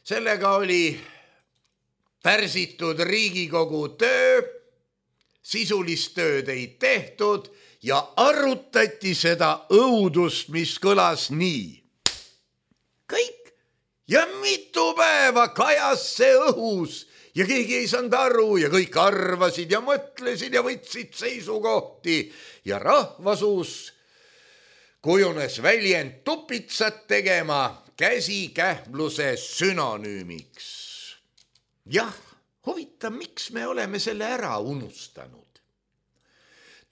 Sellega oli pärsitud Riigikogu töö, sisulist tööd ei tehtud ja arutati seda õudust, mis kõlas nii. Kõik ja mitu päeva kajas see õhus ja keegi ei saanud aru ja kõik arvasid ja mõtlesid ja võtsid seisukohti ja rahvasuus kujunes väljend tupitsat tegema käsikähmluse sünonüümiks. Jah, huvitav, miks me oleme selle ära unustanud?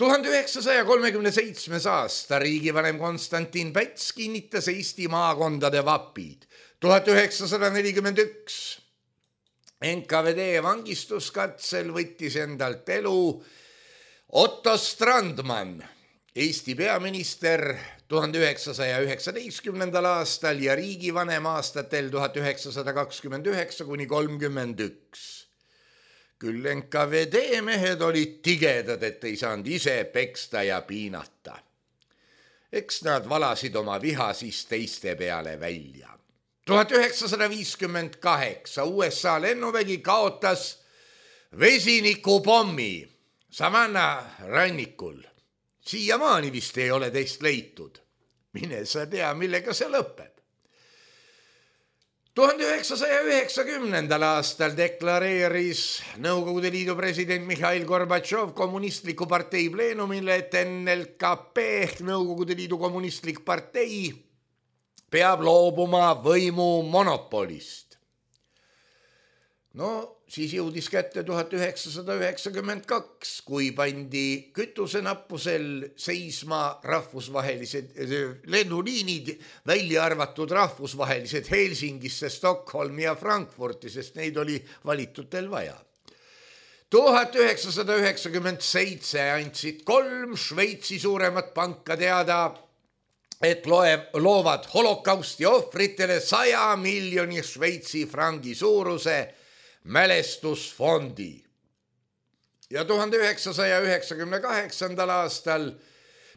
1937. aasta riigivanem Konstantin Päts kinnitas Eesti maakondade vapid. 1941 NKVD vangistuskatsel võttis endalt elu Otto Strandman, Eesti peaminister 1919. aastal ja riigivanem aastatel 1929–31. Küll NKVD mehed olid tigedad, et ei saanud ise peksta ja piinata. Eks nad valasid oma viha siis teiste peale välja. 1958 USA lennuvägi kaotas vesinikupommi Savannah rannikul. Siiamaani vist ei ole teist leitud. Mine sa tea, millega see lõpeb. 1990. aastal deklareeris Nõukogude Liidu president Mihhail Gorbatšov kommunistliku partei pleenumile, et NLKP ehk Nõukogude Liidu kommunistlik partei peab loobuma võimu monopolist. No, siis jõudis kätte 1992, kui pandi kütusenappusel seisma rahvusvahelised lennuliinid, välja arvatud rahvusvahelised Helsingisse, Stockholmi ja Frankfurti, sest neid oli valitutel vaja. 1997 andsid 3 Šveitsi suuremat panka teada, et loovad holokausti ohvritele 100 miljoni Šveitsi frangi suuruse mälestusfondi. Ja 1998. aastal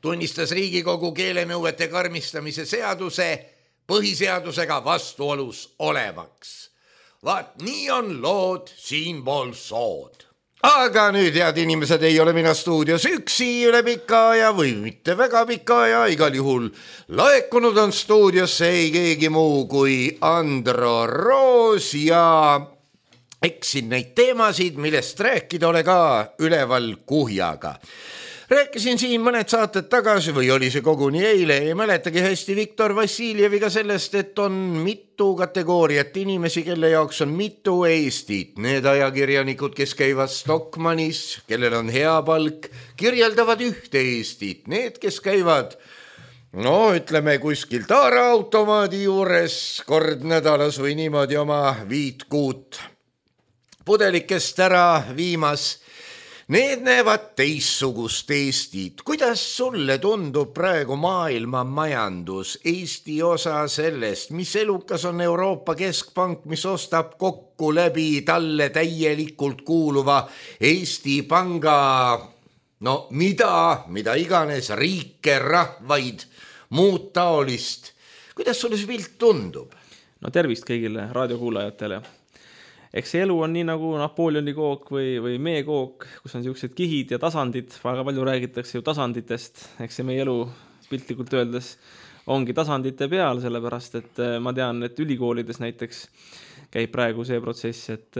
tunnistas Riigikogu keelenõuete karmistamise seaduse põhiseadusega vastuolus olevaks. Vaat nii on lood siinpool sood. Aga nüüd, head inimesed, ei ole mina stuudios üksi üle pika aja või mitte väga pika aja, igal juhul laekunud on stuudiosse ei keegi muu kui Andro Roos ja eksin neid teemasid, millest rääkida ole ka üleval kuhjaga. Rääkisin siin mõned saated tagasi või oli see koguni eile, ei mäletagi hästi Viktor Vassiljeviga sellest, et on mitu kategooriat inimesi, kelle jaoks on mitu Eestit. Need ajakirjanikud, kes käivad Stockmannis, kellel on hea palk, kirjeldavad ühte Eestit. Need, kes käivad ütleme kuskil taaraautomaadi juures kord nädalas või niimoodi oma 5 kuud pudelikest ära viimas, need näevad teissugust Eestit. Kuidas sulle tundub praegu maailma majandus, Eesti osa sellest, mis elukas on Euroopa Keskpank, mis ostab kokku läbi talle täielikult kuuluva Eesti Panga, mida iganes, riike, rahvaid, muud taolist. Kuidas sulle see pilt tundub? Tervist kõigile raadiokuulajatele. Eks see elu on nii nagu Napoleoni kook või meekook, kus on sellised kihid ja tasandid, väga palju räägitakse ju tasanditest, eks see meie elu piltlikult öeldes ongi tasandite peal, sellepärast et ma tean, et ülikoolides näiteks käib praegu see protsess, et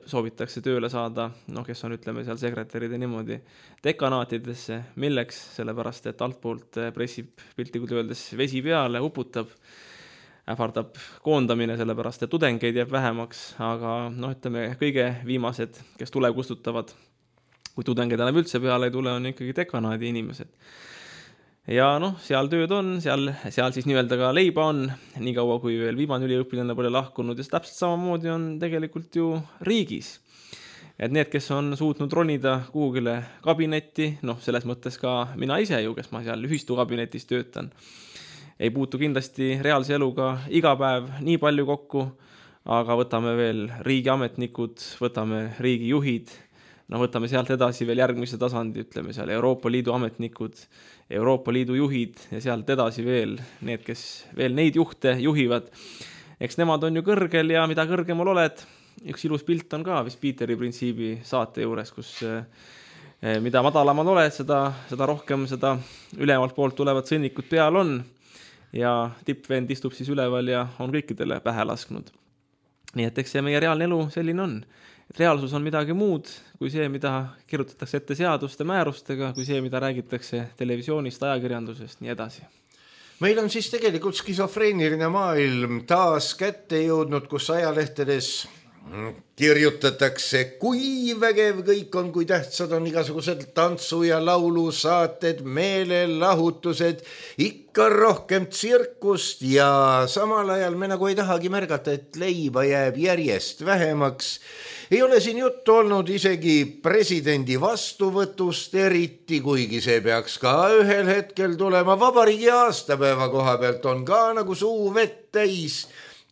soovitakse tööle saada, kes on ütleme seal sekretärid ja niimoodi dekanaatidesse, milleks, sellepärast et altpoolt pressib piltlikult öeldes vesi peale, uputab, ähvardab koondamine, sellepärast et tudengeid jääb vähemaks, aga ütleme kõige viimased, kes tule kustutavad, kui tudengeid enam üldse peale ei tule, on ikkagi dekanaadi inimesed. Ja seal tööd on, seal siis nii-öelda ka leiba on, nii kaua kui veel viimane üliõpilane pole lahkunud ja täpselt samamoodi on tegelikult ju riigis. Et need, kes on suutnud ronida kuhugile kabinetti, selles mõttes ka mina ise ju, kes ma seal ühistukabinetis töötan, ei puutu kindlasti reaalse eluga iga päev nii palju kokku, aga võtame veel riigiametnikud, võtame riigijuhid, võtame sealt edasi veel järgmise tasandi, ütleme seal Euroopa Liidu ametnikud, Euroopa Liidu juhid ja sealt edasi veel need, kes veel neid juhte juhivad. Eks nemad on ju kõrgel ja mida kõrgemal oled, üks ilus pilt on ka vist Peteri printsiibi saate juures, kus mida madalamal oled, seda rohkem seda ülevalt poolt tulevad sõnnikud peal on. Ja tippvend istub siis üleval ja on kõikidele pähe lasknud. Nii et eks see meie reaalne elu selline on, reaalsus on midagi muud kui see, mida kirjutatakse ette seaduste määrustega, kui see, mida räägitakse televisioonist, ajakirjandusest, nii edasi. Meil on siis tegelikult skisofreeniline maailm taas kätte jõudnud, kus ajalehtedes kirjutatakse, kui vägev kõik on, kui tähtsad on igasugused tantsu- ja laulusaated, meelelahutused, ikka rohkem tsirkust ja samal ajal me nagu ei tahagi märgata, et leiba jääb järjest vähemaks. Ei ole siin juttu olnud isegi presidendi vastuvõtust eriti, kuigi see peaks ka ühel hetkel tulema. Vabariigi aastapäeva koha pealt on ka nagu suu vett täis.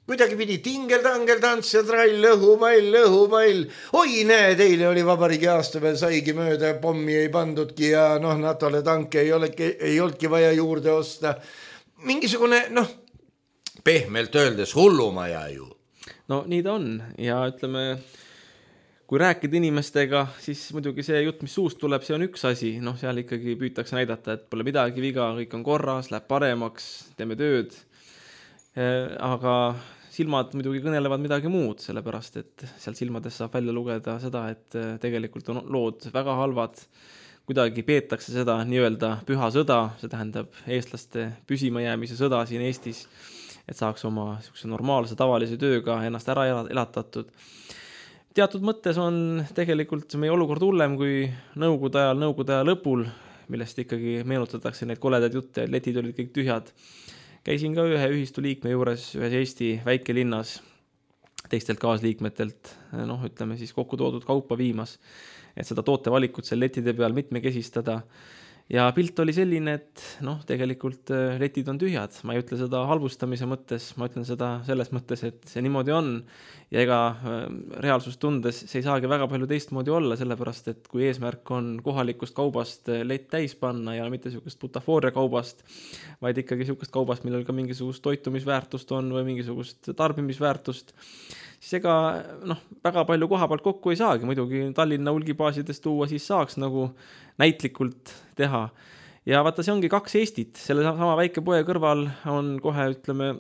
Kuidagi pidi tingel-tangel tants ja trall, õhupall. Oi, näed, eile oli vabariigi aastapäev, saigi mööda, pommi ei pandudki ja NATO-le tanke ei olnudki vaja juurde osta. Mingisugune, pehmelt öeldes hullumaja ju. No nii ta on ja ütleme, kui rääkida inimestega, siis muidugi see jutt, mis suust tuleb, see on üks asi. Seal ikkagi püütakse näidata, et pole midagi viga, kõik on korras, läheb paremaks, teeme tööd. Aga silmad muidugi kõnelevad midagi muud, sellepärast, et sealt silmades saab välja lugeda seda, et tegelikult on lood väga halvad. Kuidagi peetakse seda nii-öelda püha sõda, see tähendab eestlaste püsimajäämise sõda siin Eestis, et saaks oma normaalse tavalise tööga ennast ära elatatud. Teatud mõttes on tegelikult meie olukord hullem kui nõukogude ajal lõpul, millest ikkagi meenutatakse neid koledaid jutte, et letid olid kõik tühjad. Käisin ka ühe ühistu liikme juures ühes Eesti väikelinnas teistelt kaasliikmetelt, ütleme siis kokku toodud kaupa viimas, et seda tootevalikut seal letide peal mitmekesistada. Ja pilt oli selline, et tegelikult letid on tühjad. Ma ei ütle seda halvustamise mõttes, ma ütlen seda selles mõttes, et see niimoodi on. Ja ega reaalsust tundes see ei saagi väga palju teistmoodi olla, sellepärast, et kui eesmärk on kohalikust kaubast lett täis panna ja mitte niisugust butafooria kaubast, vaid ikkagi niisugust kaubast, millel ka mingisugust toitumisväärtust on või mingisugust tarbimisväärtust, siis ega väga palju koha pealt kokku ei saagi. Muidugi Tallinna hulgibaasidest tuua siis saaks nagu näitlikult teha. Ja vaata, see ongi kaks Eestit. Selle sama väike poe kõrval on kohe, ütleme,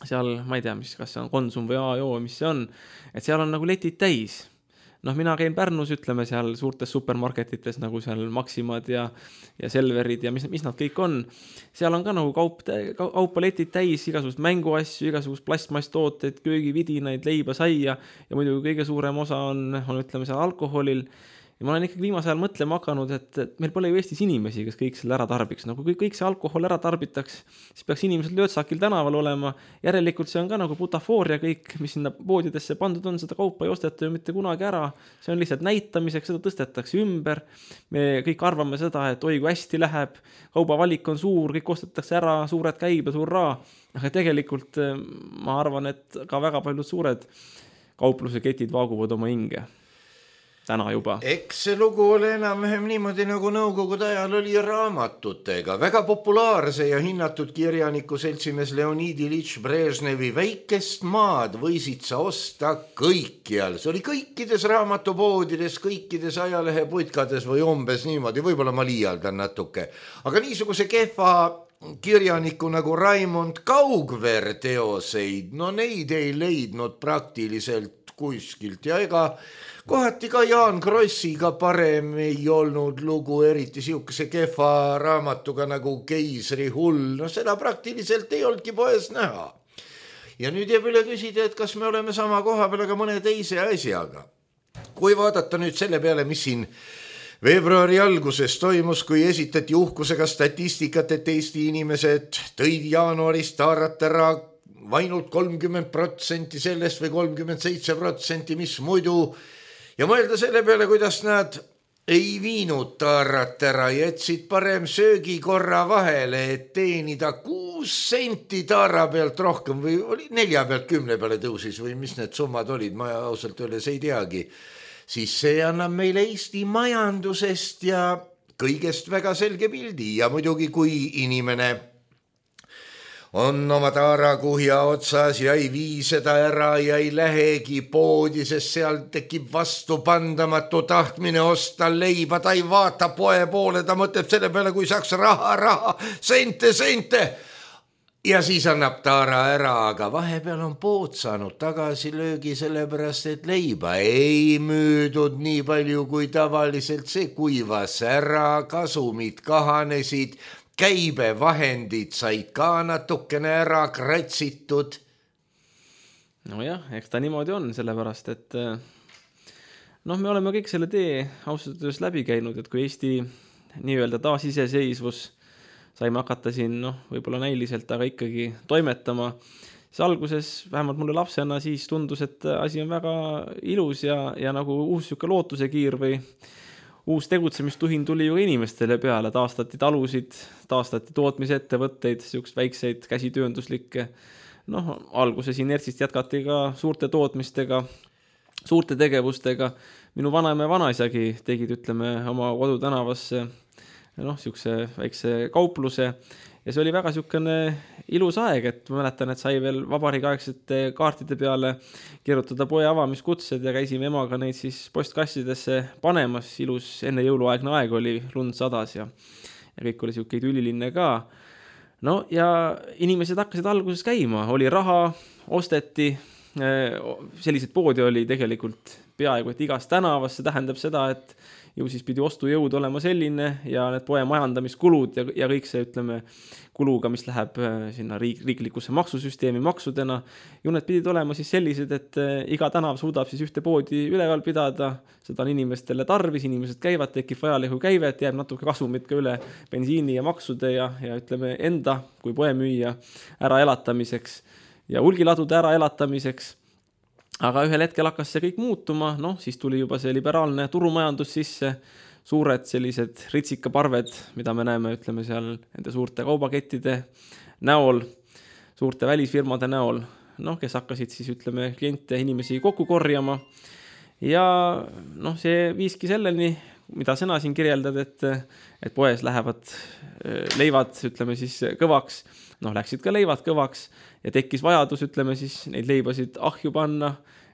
seal, ma ei tea, kas see on Konsum või AO, mis see on, et seal on nagu letid täis. Mina käin Pärnus, ütleme, seal suurtes supermarketites, nagu seal Maximad ja Selverid ja mis nad kõik on. Seal on ka nagu kaupaletid täis, igasugust mänguasju, igasugust plastmasstooteid, köögividinaid, leiba, saia ja muidugi kõige suurem osa on ütleme, seal alkoholil. Ja ma olen ikkagi viimasel ajal mõtlema hakanud, et meil pole ju Eestis inimesi, kes kõik selle ära tarbiks. Kui kõik see alkohol ära tarbitaks, siis peaks inimesed löötsakil tänaval olema. Järelikult see on ka nagu butafooria kõik, mis sinna poodidesse pandud on, seda kaupa ei osteta ju mitte kunagi ära. See on lihtsalt näitamiseks, seda tõstetakse ümber. Me kõik arvame seda, et oi, kui hästi läheb, kaubavalik on suur, kõik ostetakse ära, suured käibed, hurraa. Aga tegelikult ma arvan, et ka väga paljud suured kaupluse ketid vaaguvad oma hinge. Täna juba. Eks see lugu oli enam-vähem niimoodi, nagu nõukogude ajal oli raamatutega. Väga populaarse ja hinnatud kirjaniku seltsimees Leonid Iljitš Brežnevi Väikest maad võisid sa osta kõikjal. See oli kõikides raamatupoodides, kõikides ajaleheputkades või umbes niimoodi. Võib-olla ma liialdan natuke. Aga niisuguse kehva kirjaniku nagu Raimond Kaugver teoseid, neid ei leidnud praktiliselt kuskilt ja ega kohati ka Jaan Krossiga parem ei olnud lugu, eriti siukese kehva raamatuga nagu Keisri hull. Seda praktiliselt ei olnudki poes näha. Ja nüüd jääb üle küsida, et kas me oleme sama koha peal aga mõne teise asjaga. Kui vaadata nüüd selle peale, mis siin veebruari alguses toimus, kui esitati uhkusega statistikat, et Eesti inimesed tõid jaanuaris taaratera ainult 30% sellest või 37%, mis muidu. Ja mõelda selle peale, kuidas nad ei viinud taarat ära, jätsid parem söögikorra vahele, et teenida 6 senti taara pealt rohkem või oli 4 pealt 10 peale tõusis või mis need summad olid, ma ausalt öeldes ei teagi. Siis see annab meile Eesti majandusest ja kõigest väga selge pildi ja muidugi kui inimene on oma taarakuhja otsas ja ei vii seda ära ja ei lähegi poodi, sest seal tekib vastupandamatu tahtmine osta leiba, ta ei vaata poe poole, ta mõtleb selle peale, kui saaks raha, sente. ja siis annab taara ära, aga vahepeal on pood saanud tagasilöögi sellepärast, et leiba ei müüdud nii palju kui tavaliselt, see kuivas ära, kasumid kahanesid, käibevahendid said ka natukene ära kratsitud. Nojah, eks ta niimoodi on, sellepärast, et me oleme kõik selle tee ausalt läbi käinud, et kui Eesti nii-öelda taasiseseisvus saime hakata siin, võib-olla näiliselt, aga ikkagi toimetama. Siis alguses, vähemalt mulle lapsena, siis tundus, et asi on väga ilus ja nagu uus siuke lootusekiir või uus tegutsemistuhin tuli ju inimestele peale. Taastati talusid, taastati tootmisettevõtteid, siukest väikseid käsitöönduslikke. Alguses inertsist jätkati ka suurte tootmistega, suurte tegevustega. Minu vanaema ja vanaisagi tegid, oma kodutänavasse siukse väikse kaupluse ja see oli väga siukene ilus aeg, et ma mäletan, et sai veel vabariigiaegsete kaartide peale kirjutada poe avamiskutsed ja käisime emaga neid siis postkassidesse panemas. Ilus enne jõuluaegne aeg oli, lund sadas ja kõik oli siuke idülliline ka. Ja inimesed hakkasid alguses käima, oli raha, osteti, sellised poodi oli tegelikult peaaegu, et igas tänavas. See tähendab seda, et ju siis pidi ostujõud olema selline ja need poe majandamiskulud ja kõik see, kuluga, mis läheb sinna riiklikusse maksusüsteemi maksudena. Ju need pidid olema siis sellised, et iga tänav suudab siis ühte poodi üleval pidada, seda on inimestele tarvis, inimesed käivad, tekib vajalikku käivet, jääb natuke kasumit ka üle bensiini ja maksude ja enda kui poemüüja äraelatamiseks ja hulgiladude äraelatamiseks. Aga ühel hetkel hakkas see kõik muutuma, siis tuli juba see liberaalne turumajandus sisse, suured sellised ritsikaparved, mida me näeme, seal nende suurte kaubakettide näol, suurte välisfirmade näol, kes hakkasid siis, kliente, inimesi kokku korjama. Ja see viiski selleni, mida sina siin kirjeldad, et poes lähevad leivad, kõvaks, läksid ka leivad kõvaks ja tekkis vajadus, neid leibasid ahju panna,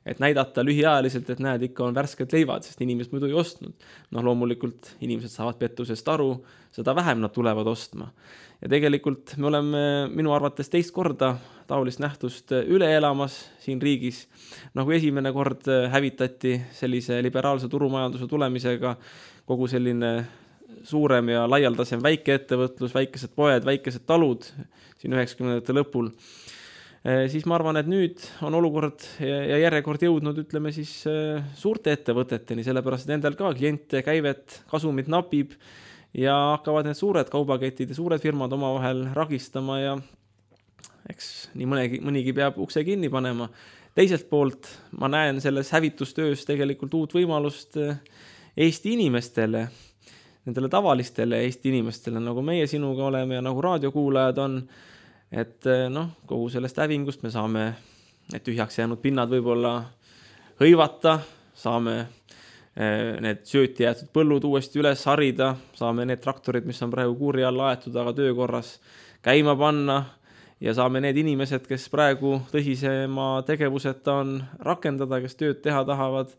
et näidata lühiajaliselt, et näed, ikka on värsked leivad, sest inimesed muidu ei ostnud. Loomulikult inimesed saavad pettusest aru, seda vähem nad tulevad ostma. Ja tegelikult me oleme minu arvates teist korda taolist nähtust üle elamas siin riigis. Kui esimene kord hävitati sellise liberaalse turumajanduse tulemisega kogu selline suurem ja laialdasem väikeettevõtlus, väikesed poed, väikesed talud siin 90ndate lõpul, siis ma arvan, et nüüd on olukord ja järjekord jõudnud, suurte ettevõteteni, sellepärast et nendel ka kliente, käivet, kasumit napib ja hakkavad need suured kaubaketid ja suured firmad omavahel ragistama ja eks nii mõnigi peab ukse kinni panema. Teiselt poolt ma näen selles hävitustöös tegelikult uut võimalust Eesti inimestele, nendele tavalistele Eesti inimestele, nagu meie sinuga oleme ja nagu raadiokuulajad on, et kogu sellest hävingust me saame need tühjaks jäänud pinnad võib-olla hõivata, saame need sööti jäetud põllud uuesti üles harida, saame need traktorid, mis on praegu kuuri all aetud, aga töökorras käima panna ja saame need inimesed, kes praegu tõsisema tegevuseta on rakendada, kes tööd teha tahavad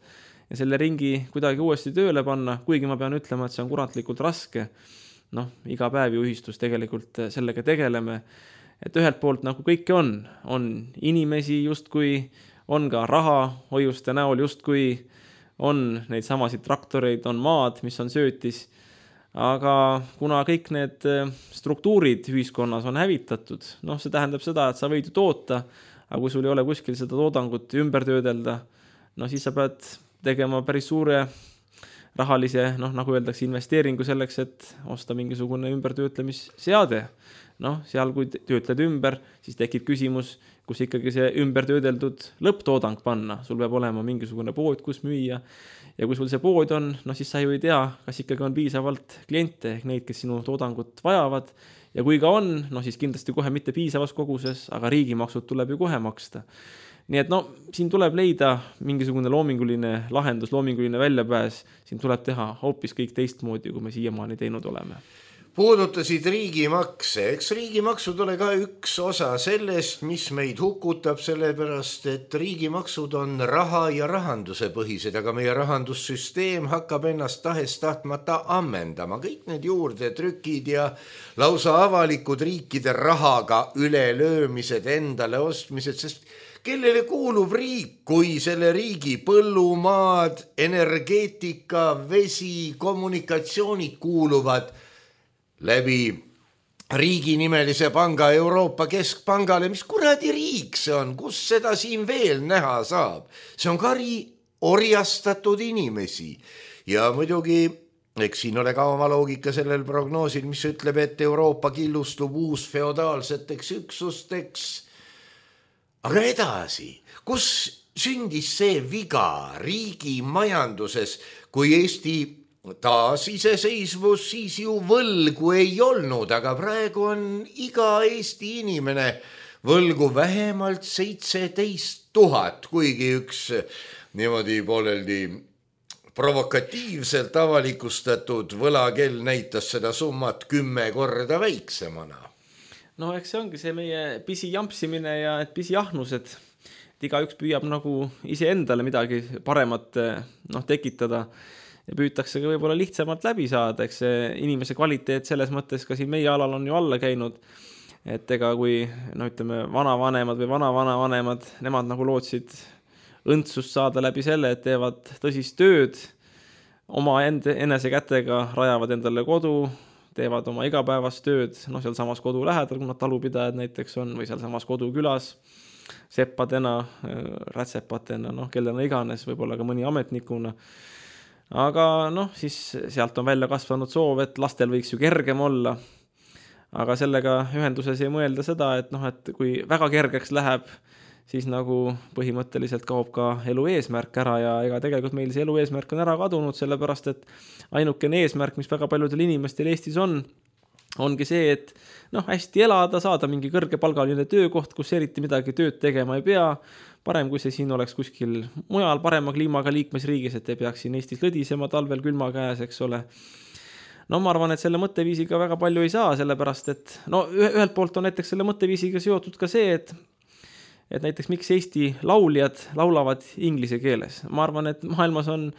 ja selle ringi kuidagi uuesti tööle panna, kuigi ma pean ütlema, et see on kuratlikult raske. Iga päev ju ühistus tegelikult sellega tegeleme, et ühelt poolt nagu kõike on inimesi justkui, on ka raha hoiuste näol justkui, on neid samasid traktoreid, on maad, mis on söötis, aga kuna kõik need struktuurid ühiskonnas on hävitatud, see tähendab seda, et sa võid ju toota, aga kui sul ei ole kuskil seda toodangut ümber töödelda, siis sa pead tegema päris suure rahalise, nagu öeldakse, investeeringu selleks, et osta mingisugune ümbertöötlemisseade. Seal kui töötled ümber, siis tekib küsimus, kus ikkagi see ümbertöödeldud lõpptoodang panna. Sul peab olema mingisugune pood, kus müüa. Ja kui sul see pood on, siis sa ju ei tea, kas ikkagi on piisavalt kliente, ehk neid, kes sinu toodangut vajavad. Ja kui ka on, siis kindlasti kohe mitte piisavas koguses, aga riigimaksud tuleb ju kohe maksta. Nii et siin tuleb leida mingisugune loominguline lahendus, loominguline väljapääs. Siin tuleb teha hoopis kõik teistmoodi, kui me siiamaani teinud oleme. puudutasid riigimakse. Eks riigimaksud ole ka üks osa sellest, mis meid hukutab, sellepärast, et riigimaksud on raha ja rahanduse põhised, aga meie rahandussüsteem hakkab ennast tahes-tahtmata ammendama. Kõik need juurdetrükid ja lausa avalikud riikide rahaga ülelöömised, endale ostmised, sest kellele kuulub riik, kui selle riigi põllumaad, energeetika, vesi, kommunikatsioonid kuuluvad läbi riiginimelise panga Euroopa Keskpangale, mis kuradi riik see on, kus seda siin veel näha saab? See on kari orjastatud inimesi ja muidugi, eks siin ole ka oma loogika sellel prognoosil, mis ütleb, et Euroopa killustub uus feodaalseteks üksusteks. Aga edasi, kus sündis see viga riigi majanduses, kui Eesti taas iseseisvus, siis ju võlgu ei olnud, aga praegu on iga Eesti inimene võlgu vähemalt 17 000, kuigi üks niimoodi pooleldi provokatiivselt avalikustatud võlakell näitas seda summat 10 korda väiksemana. No eks see ongi see meie pisijampsimine ja pisijahnused, et igaüks püüab nagu iseendale midagi paremat tekitada. Ja püütakse ka võib-olla lihtsamalt läbi saada, eks see inimese kvaliteet selles mõttes ka siin meie alal on ju alla käinud, et ega kui ütleme vanavanemad või vanavanavanemad, nemad nagu lootsid õndsust saada läbi selle, et teevad tõsist tööd, oma enese kätega rajavad endale kodu, teevad oma igapäevast tööd, seal samas kodu lähedal, kui nad talupidajad näiteks on, või seal samas kodukülas, seppadena, rätsepatena, kellena iganes, võib-olla ka mõni ametnikuna. Aga siis sealt on välja kasvanud soov, et lastel võiks ju kergem olla. Aga sellega ühenduses ei mõelda seda, et kui väga kergeks läheb, siis nagu põhimõtteliselt kaob ka elu eesmärk ära ja ega tegelikult meil see elu eesmärk on ära kadunud, sellepärast et ainukene eesmärk, mis väga paljudel inimestel Eestis ongi see, et hästi elada, saada mingi kõrgepalgaline töökoht, kus eriti midagi tööd tegema ei pea. Parem, kui see siin oleks kuskil mujal parema kliimaga liikmesriigis, et ei peaks siin Eestis lõdisema talvel külma käes, eks ole. Ma arvan, et selle mõtteviisiga väga palju ei saa, sellepärast et ühelt poolt on näiteks selle mõtteviisiga seotud ka see, et näiteks miks Eesti lauljad laulavad inglise keeles. Ma arvan, et maailmas on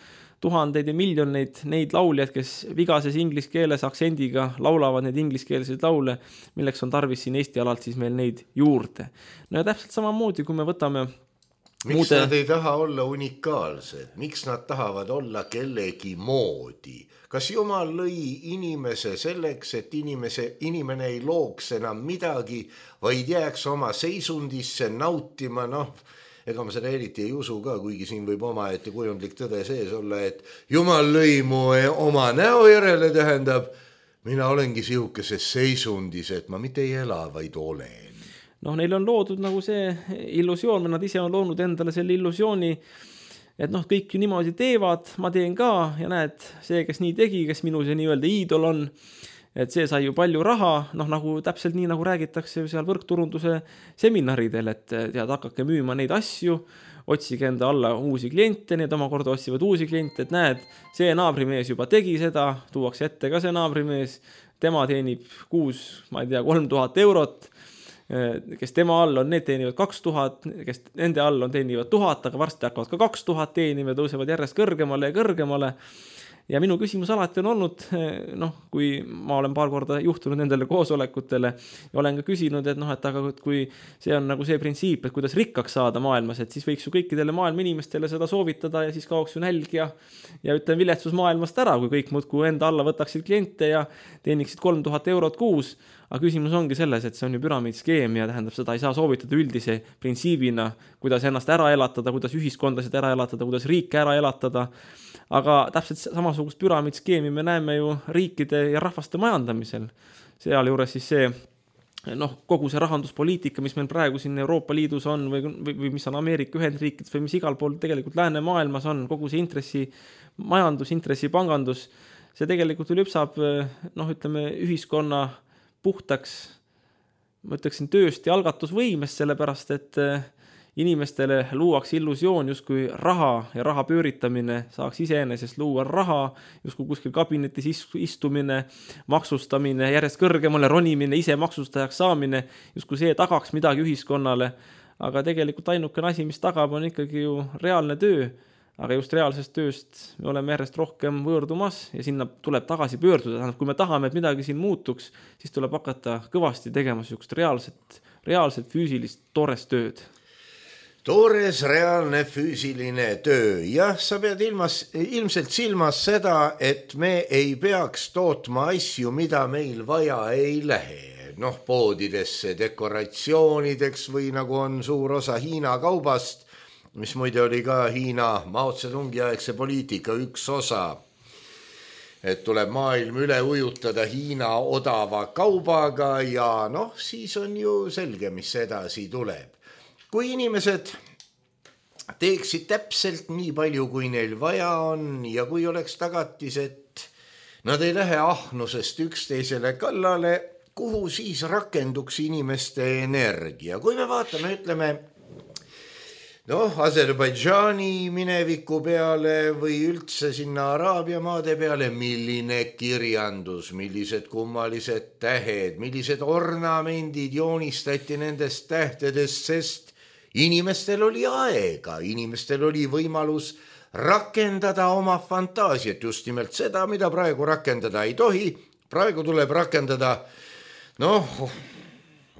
tuhandeid ja miljoneid neid lauljad, kes vigases inglise keeles aktsendiga laulavad neid ingliskeelseid laule, milleks on tarvis siin Eesti alalt siis meil neid juurde. Ja täpselt samamoodi, kui me võtame miks nad ei taha olla unikaalsed? Miks nad tahavad olla kellegi moodi? Kas Jumal lõi inimese selleks, et inimene ei looks enam midagi, vaid jääks oma seisundisse nautima? Ega ma seda eriti ei usu ka, kuigi siin võib omaette kujundlik tõde sees olla, et Jumal lõi mu oma näo järele, tähendab, mina olengi sihukeses seisundis, et ma mitte ei ela, vaid olen. Neil on loodud nagu see illusioon, nad ise on loonud endale selle illusiooni, et kõik ju niimoodi teevad, ma teen ka ja näed, see, kes nii tegi, kes minu see nii-öelda iidol on, et see sai ju palju raha, nagu täpselt nii, nagu räägitakse ju seal võrkturunduse seminaridel, et hakake müüma neid asju, otsige enda alla uusi kliente, need omakorda otsivad uusi kliente, et näed, see naabrimees juba tegi seda, tuuakse ette ka see naabrimees, tema teenib kuus, 3000 eurot, kes tema all on, need teenivad 2000, kes nende all on, teenivad 1000, aga varsti hakkavad ka 2000 teenima ja tõusevad järjest kõrgemale ja kõrgemale. Ja minu küsimus alati on olnud, kui ma olen paar korda juhtunud nendele koosolekutele ja olen ka küsinud, et aga kui see on nagu see printsiip, et kuidas rikkaks saada maailmas, et siis võiks ju kõikidele maailma inimestele seda soovitada ja siis kaoks ju nälg ja viletsus maailmast ära, kui kõik muudkui enda alla võtaksid kliente ja teeniksid 3000 eurot kuus. Aga küsimus ongi selles, et see on ju püramiidskeem ja tähendab, seda ei saa soovitada üldise printsiibina, kuidas ennast ära elatada, kuidas ühiskondasid ära elatada, kuidas riike ära elatada. Aga täpselt samasugust püramiidskeemi me näeme ju riikide ja rahvaste majandamisel. Seal juures siis see, kogu see rahanduspoliitika, mis meil praegu siin Euroopa Liidus on või mis on Ameerika Ühendriikides või mis igal pool tegelikult läänemaailmas on, kogu see intressimajandus, intressipangandus, see tegelikult ülipsab, ühiskonna puhtaks, ma ütleksin, tööst ja algatusvõimest, sellepärast, et inimestele luuakse illusioon, justkui raha ja raha pööritamine saaks iseenesest luua raha, justkui kuskil kabinetis istumine, maksustamine, järjest kõrgemale ronimine, ise maksustajaks saamine, justkui see tagaks midagi ühiskonnale. Aga tegelikult ainukene asi, mis tagab, on ikkagi ju reaalne töö. Aga just reaalsest tööst me oleme järjest rohkem võõrdumas ja sinna tuleb tagasi pöörduda. Kui me tahame, et midagi siin muutuks, siis tuleb hakata kõvasti tegema sihukest reaalset füüsilist toores tööd. Toores reaalne füüsiline töö. Jah, sa pead ilmselt silmas seda, et me ei peaks tootma asju, mida meil vaja ei lähe. Poodidesse dekoratsioonideks või nagu on suur osa Hiina kaubast, mis muide oli ka Hiina Mao Zedongi aegse poliitika üks osa, et tuleb maailm üle ujutada Hiina odava kaubaga ja siis on ju selge, mis edasi tuleb. Kui inimesed teeksid täpselt nii palju, kui neil vaja on ja kui oleks tagatis, et nad ei lähe ahnusest üksteisele kallale, kuhu siis rakenduks inimeste energia? Kui me vaatame, ütleme, Aserbaidžaani mineviku peale või üldse sinna Araabia maade peale, milline kirjandus, millised kummalised tähed, millised ornamendid joonistati nendest tähtedest, sest inimestel oli aega, inimestel oli võimalus rakendada oma fantaasiat, just nimelt seda, mida praegu rakendada ei tohi. Praegu tuleb rakendada,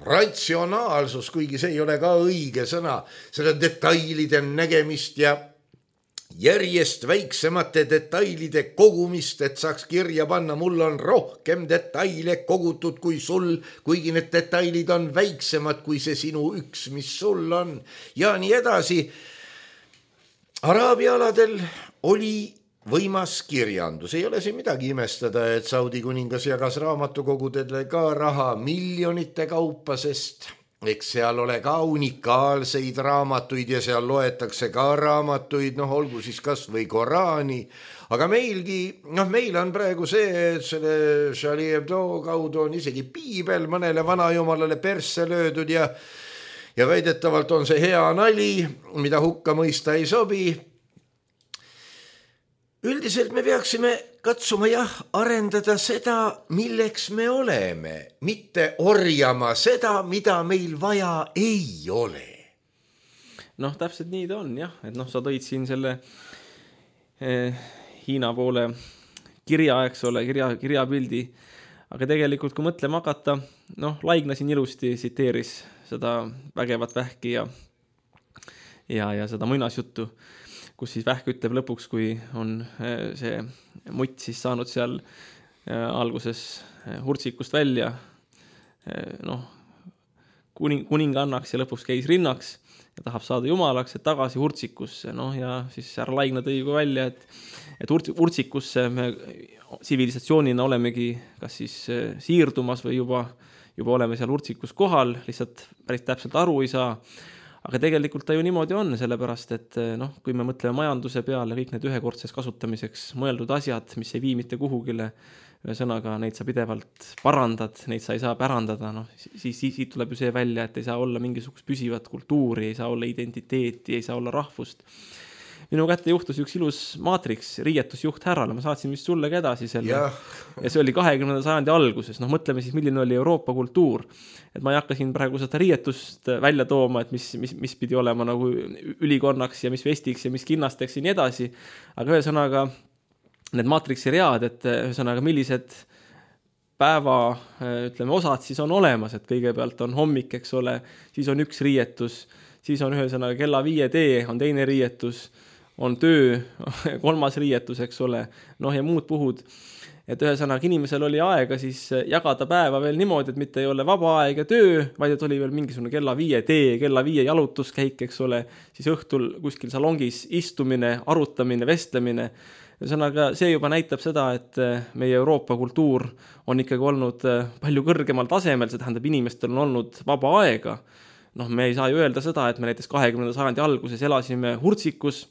ratsionaalsus, kuigi see ei ole ka õige sõna, seda detailide nägemist ja järjest väiksemate detailide kogumist, et saaks kirja panna, mul on rohkem detaile kogutud kui sul, kuigi need detailid on väiksemad kui see sinu üks, mis sul on ja nii edasi. Araabia aladel oli võimas kirjandus. Ei ole siin midagi imestada, et Saudi kuningas jagas raamatukogudele ka raha miljonite kaupa, sest eks seal ole ka unikaalseid raamatuid ja seal loetakse ka raamatuid, olgu siis kas või Koraani. Aga meil on praegu see, et selle Charlie Hebdo kaudu on isegi piibel mõnele vanajumalale persse löödud ja väidetavalt on see hea nali, mida hukka mõista ei sobi. Üldiselt me peaksime katsuma arendada seda, milleks me oleme, mitte orjama seda, mida meil vaja ei ole. Täpselt nii ta on, et sa tõid siin selle Hiina poole kirja, eks ole, kirjapildi, aga tegelikult kui mõtlema hakata, Laigna siin ilusti tsiteeris seda vägevat vähki ja seda muinasjuttu, kus siis vähk ütleb lõpuks, kui on see mutt siis saanud seal alguses hurtsikust välja, kuningannaks ja lõpuks käis rinnaks ja tahab saada jumalaks, et tagasi hurtsikusse. Ja siis härra Laigna tõi juba välja, et hurtsikusse me tsivilisatsioonina olemegi kas siis siirdumas või juba oleme seal hurtsikus kohal, lihtsalt päris täpselt aru ei saa. Aga tegelikult ta ju niimoodi on, sellepärast, et kui me mõtleme majanduse peale, kõik need ühekordseks kasutamiseks mõeldud asjad, mis ei vii mitte kuhugile, ühesõnaga neid sa pidevalt parandad, neid sa ei saa pärandada, siis tuleb ju see välja, et ei saa olla mingisugust püsivat kultuuri, ei saa olla identiteeti, ei saa olla rahvust. Minu kätte juhtus üks ilus maatriks riietusjuht härrale, ma saatsin vist sulle ka edasi selle. Ja see oli 20. sajandi alguses. Mõtleme siis, milline oli Euroopa kultuur. Et ma ei hakka siin praegu seda riietust välja tooma, et mis pidi olema nagu ülikonnaks ja mis vestiks ja mis kinnasteks ja nii edasi. Aga ühesõnaga need maatriksi read, et ühesõnaga millised päeva, osad siis on olemas, et kõigepealt on hommik, eks ole, siis on üks riietus, siis on ühesõnaga kella 5 tee, on teine riietus, on töö, 3. riietus, eks ole, ja muud puhud. Et ühesõnaga inimesel oli aega siis jagada päeva veel niimoodi, et mitte ei ole vaba aeg ja töö, vaid et oli veel mingisugune kella 5 tee, kella 5 jalutuskäik, eks ole, siis õhtul kuskil salongis istumine, arutamine, vestlemine. Ühesõnaga see juba näitab seda, et meie Euroopa kultuur on ikkagi olnud palju kõrgemal tasemel, see tähendab inimestel on olnud vaba aega. Me ei saa ju öelda seda, et me näiteks 20. sajandi alguses elasime hurtsikus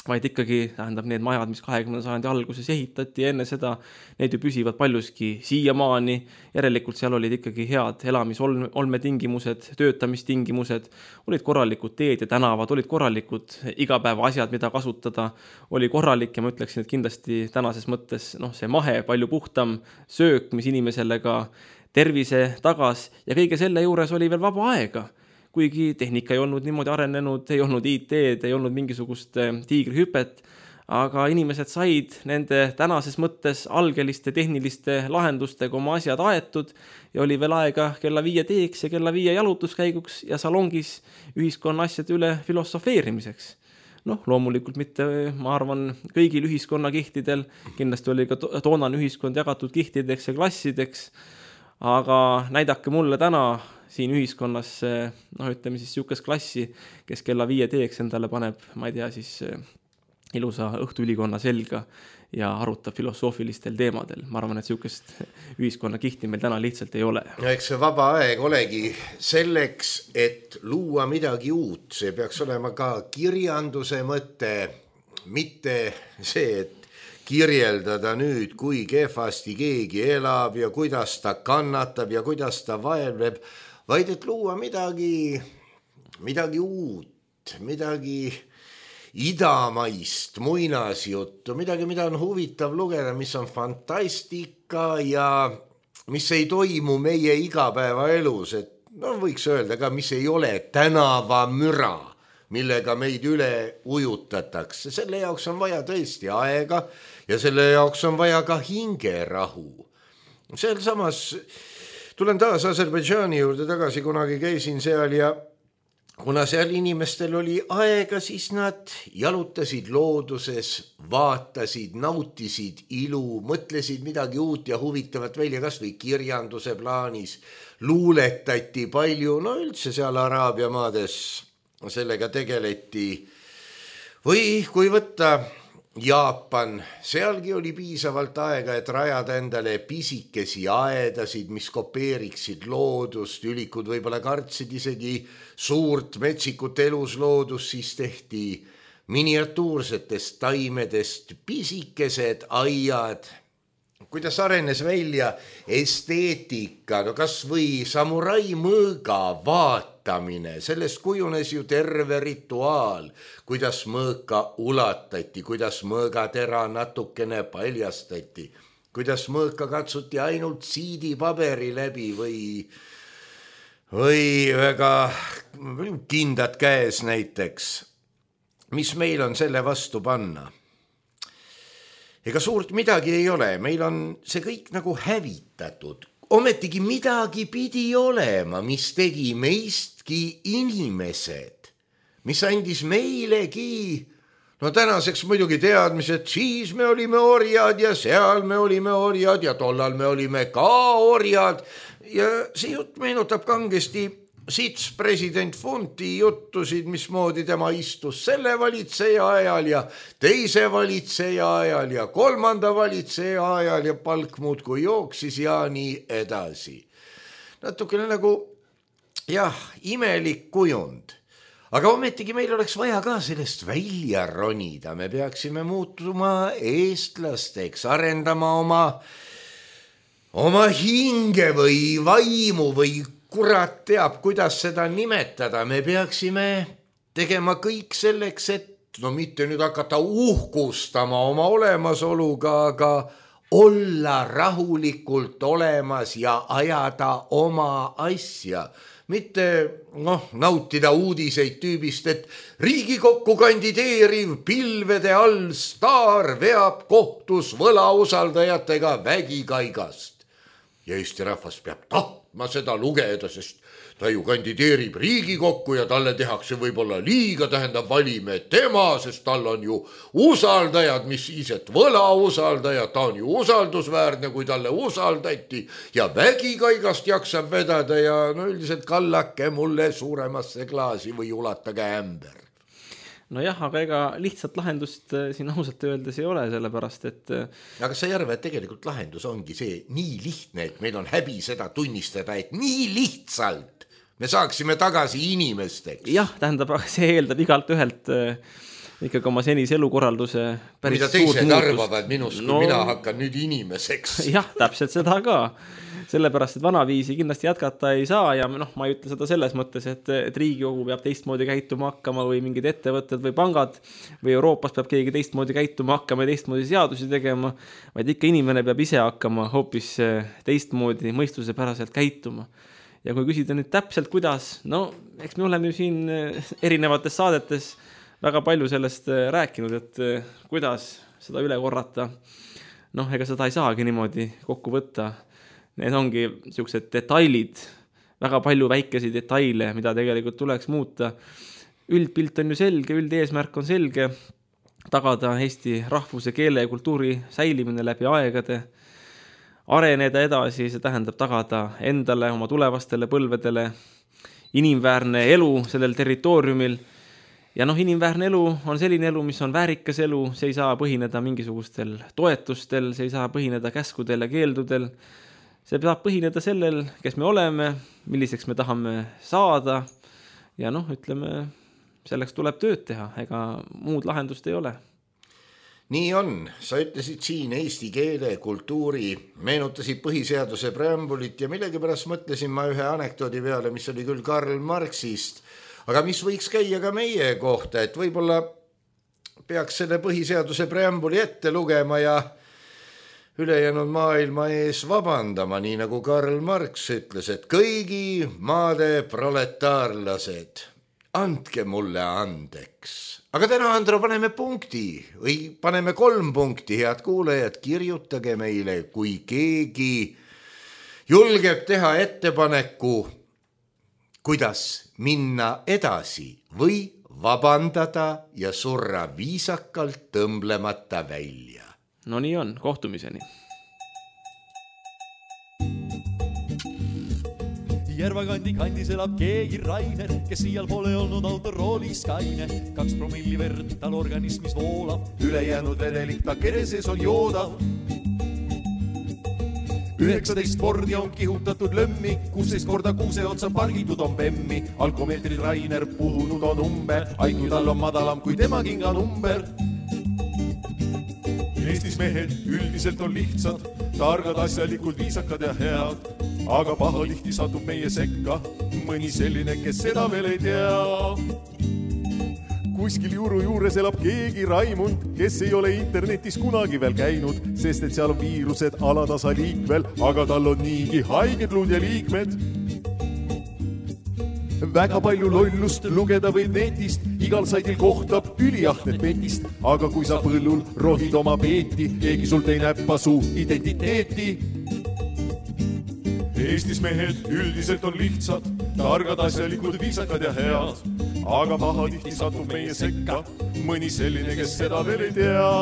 vaid ikkagi tähendab need majad, mis 20. sajandi alguses ehitati ja enne seda, need ju püsivad paljuski siiamaani, järelikult seal olid ikkagi head elamisolmetingimused, töötamistingimused, olid korralikud teed ja tänavad, olid korralikud igapäeva asjad, mida kasutada, oli korralik ja ma ütleksin, et kindlasti tänases mõttes see mahe, palju puhtam söök, mis inimesele ka tervise tagas ja kõige selle juures oli veel vaba aega. Kuigi tehnika ei olnud niimoodi arenenud, ei olnud IT-d, ei olnud mingisugust tiigrihüpet, aga inimesed said nende tänases mõttes algeliste tehniliste lahendustega oma asjad aetud ja oli veel aega kella 5 teeks ja kella 5 jalutuskäiguks ja salongis ühiskonna asjade üle filosofeerimiseks. Loomulikult mitte, ma arvan, kõigil ühiskonnakihtidel, kindlasti oli ka toonane ühiskond jagatud kihtideks ja klassideks, aga näidake mulle täna siin ühiskonnas, ütleme siis niisugust klassi, kes kella 5 teeks endale paneb, ma ei tea, siis ilusa õhtuülikonna selga ja arutab filosoofilistel teemadel. Ma arvan, et niisugust ühiskonnakihti meil täna lihtsalt ei ole. No eks see vaba aeg olegi selleks, et luua midagi uut. See peaks olema ka kirjanduse mõte, mitte see, et kirjeldada nüüd, kui kehvasti keegi elab ja kuidas ta kannatab ja kuidas ta vaevleb, vaid et luua midagi uut, midagi idamaist, muinasjuttu, midagi, mida on huvitav lugeda, mis on fantastika ja mis ei toimu meie igapäevaelus, et võiks öelda ka, mis ei ole tänavamüra, millega meid üle ujutatakse. Selle jaoks on vaja tõesti aega ja selle jaoks on vaja ka hingerahu. Seal samas, tulen taas Aserbaidžaani juurde tagasi, kunagi käisin seal ja kuna seal inimestel oli aega, siis nad jalutasid looduses, vaatasid, nautisid ilu, mõtlesid midagi uut ja huvitavat välja, kas või kirjanduse plaanis, luuletati palju, üldse seal Araabia maades sellega tegeleti. Või kui võtta Jaapan, sealgi oli piisavalt aega, et rajada endale pisikesi aedasid, mis kopeeriksid loodust, ülikud võib-olla kartsid isegi suurt metsikut elusloodust, siis tehti miniatuursetest taimedest pisikesed aiad. Kuidas arenes välja esteetika, kas või samurai mõõga vaatamine, sellest kujunes ju terve rituaal, kuidas mõõka ulatati, kuidas mõõgatera natukene paljastati, kuidas mõõka katsuti ainult siidipaberi läbi või väga kindad käes näiteks. Mis meil on selle vastu panna? Ega suurt midagi ei ole, meil on see kõik nagu hävitatud. Ometigi midagi pidi olema, mis tegi meistki inimesed, mis andis meilegi, tänaseks muidugi teadmised, siis me olime orjad ja seal me olime orjad ja tollal me olime ka orjad ja see jutt meenutab kangesti Sits president Funti juttusid, mismoodi tema istus selle valitseja ajal ja teise valitseja ajal ja kolmanda valitseja ajal ja palk muudkui jooksis ja nii edasi. Natukene nagu, imelik kujund. Aga ometigi meil oleks vaja ka sellest välja ronida. Me peaksime muutuma eestlasteks, arendama oma hinge või vaimu või kurat teab, kuidas seda nimetada. Me peaksime tegema kõik selleks, et mitte nüüd hakata uhkustama oma olemasoluga, aga olla rahulikult olemas ja ajada oma asja. Mitte nautida uudiseid tüübist, et Riigikokku kandideeriv pilvede all staar veab kohtus võlausaldajatega vägikaigast. Ja Eesti rahvas peab tahtma seda lugeda, sest ta ju kandideerib Riigikokku ja talle tehakse võib-olla liiga, tähendab valime tema, sest tal on ju usaldajad, mis siis, et võlausaldajad, ta on ju usaldusväärne, kui talle usaldati ja vägikaigast jaksab vedada ja üldiselt kallake mulle suuremasse klaasi või ulatage ämber. Nojah, aga ega lihtsalt lahendust siin ausalt öeldes ei ole, sellepärast, et... Aga sa ei arva, et tegelikult lahendus ongi see nii lihtne, et meil on häbi seda tunnistada, et nii lihtsalt me saaksime tagasi inimesteks. Jah, tähendab, see eeldab igalt ühelt ikkagi oma senise elukorralduse päris mida suurt teised muutust. arvavad minust, kui mina hakkan nüüd inimeseks. Jah, täpselt seda ka. Sellepärast, et vanaviisi kindlasti jätkata ei saa ja ma ei ütle seda selles mõttes, et Riigikogu peab teistmoodi käituma hakkama või mingid ettevõtted või pangad või Euroopas peab keegi teistmoodi käituma hakkama ja teistmoodi seadusi tegema, vaid ikka inimene peab ise hakkama hoopis teistmoodi mõistusepäraselt käituma. Ja kui küsida nüüd täpselt, kuidas, eks me oleme ju siin erinevates saadetes väga palju sellest rääkinud, et kuidas seda üle korrata. Ega seda ei saagi niimoodi kokku võtta. Need ongi niisugused detailid, väga palju väikesi detaile, mida tegelikult tuleks muuta. Üldpilt on ju selge, üldeesmärk on selge, tagada Eesti rahvuse, keele ja kultuuri säilimine läbi aegade, areneda edasi, see tähendab tagada endale, oma tulevastele põlvedele inimväärne elu sellel territooriumil. Ja inimväärne elu on selline elu, mis on väärikas elu, see ei saa põhineda mingisugustel toetustel, see ei saa põhineda käskudel ja keeldudel. See peab põhineda sellel, kes me oleme, milliseks me tahame saada ja ütleme, selleks tuleb tööd teha, ega muud lahendust ei ole. Nii on, sa ütlesid siin eesti keele, kultuuri, meenutasid põhiseaduse preambulit ja millegipärast mõtlesin ma ühe anekdoodi peale, mis oli küll Karl Marxist, aga mis võiks käia ka meie kohta, et võib-olla peaks selle põhiseaduse preambuli ette lugema ja ülejäänud maailma ees vabandama, nii nagu Karl Marx ütles, et kõigi maade proletaarlased, andke mulle andeks. Aga täna, Andro, paneme punkti või paneme 3 punkti, head kuulajad, kirjutage meile, kui keegi julgeb teha ettepaneku, kuidas minna edasi või vabandada ja surra viisakalt tõmblemata välja. No nii on, kohtumiseni. Järvakandi kandis elab keegi Rainer, kes siial pole olnud autoroolis kaine. 2 promilli verd tal organismis voolab, ülejäänud vedelik ta kereses on joodav. 19 Fordi on kihutatud lömmi, 16 korda kuuse otsa pargitud on bemmi. Alkomeetrid Rainer puhunud on umber, IQ tal on madalam kui tema kinga number. Eestis mehed üldiselt on lihtsad, targad, asjalikud, viisakad ja head, aga pahatihti satub meie sekka mõni selline, kes seda veel ei tea. Kuskil juuru juures elab keegi Raimund, kes ei ole internetis kunagi veel käinud, sest et seal on viirused alatasa liikvel, aga tal on niigi haiged luud ja liikmed. Väga palju lollust lugeda võib netist, igal saidil kohtab üliahnet petist, aga kui sa põllul rohid oma peeti, keegi sult ei näppa su identiteeti. Eestis mehed üldiselt on lihtsad, targad, asjalikud, viisakad ja head, aga pahatihti satub meie sekka mõni selline, kes seda veel ei tea.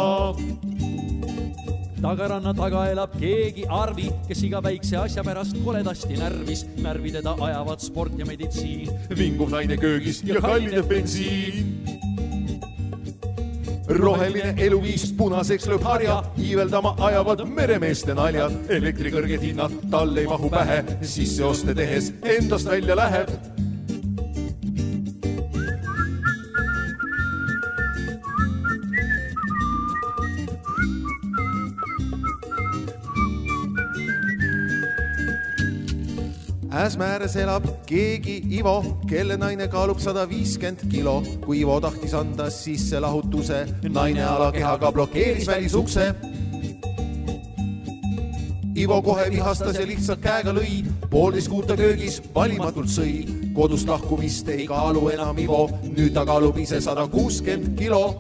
Tagaranna taga elab keegi Arvi, kes iga väikse asja pärast koledasti närvis. Närvideda ajavad sport ja meditsiin, vinguv naine köögis ja kallinev bensiin. Roheline eluviis punaseks lööb harja, iiveldama ajavad meremeeste naljad. Elektrikõrged hinnad tal ei mahu pähe, sisseoste tehes endast välja läheb. Äsmääres elab keegi Ivo, kelle naine kaalub 150 kilo. Kui Ivo tahtis anda sisse lahutuse, naine alakehaga blokeeris välisukse. Ivo kohe vihastas ja lihtsalt käega lõi, 1,5 kuud ta köögis valimatult sõi. Kodust lahkumist ei kaalu enam Ivo, nüüd ta kaalub ise 160 kilo.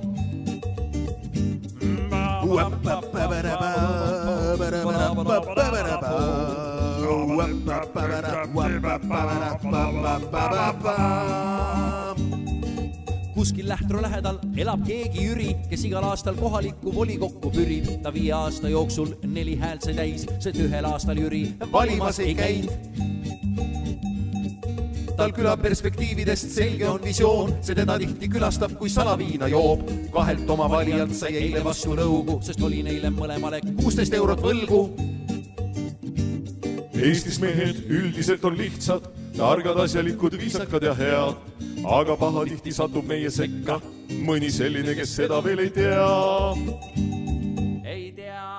Kuskil Lähtro lähedal elab keegi Jüri, kes igal aastal kohalikku volikokku pürib. Ta 5 aasta jooksul 4 häält sai täis, sest 1 aastal Jüri valimas ei käinud. Tal küla perspektiividest selge on visioon, see teda tihti külastab, kui salaviina joob. 2 oma valijalt sai eile vastu nõugu, sest oli neile mõlemale 16 eurot võlgu. Eestis mehed üldiselt on lihtsad, targad, asjalikud, viisakad ja head, aga pahatihti satub meie sekka mõni selline, kes seda veel ei tea. Ei tea.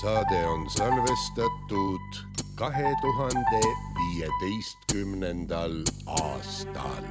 Saade on salvestatud 2015. aastal.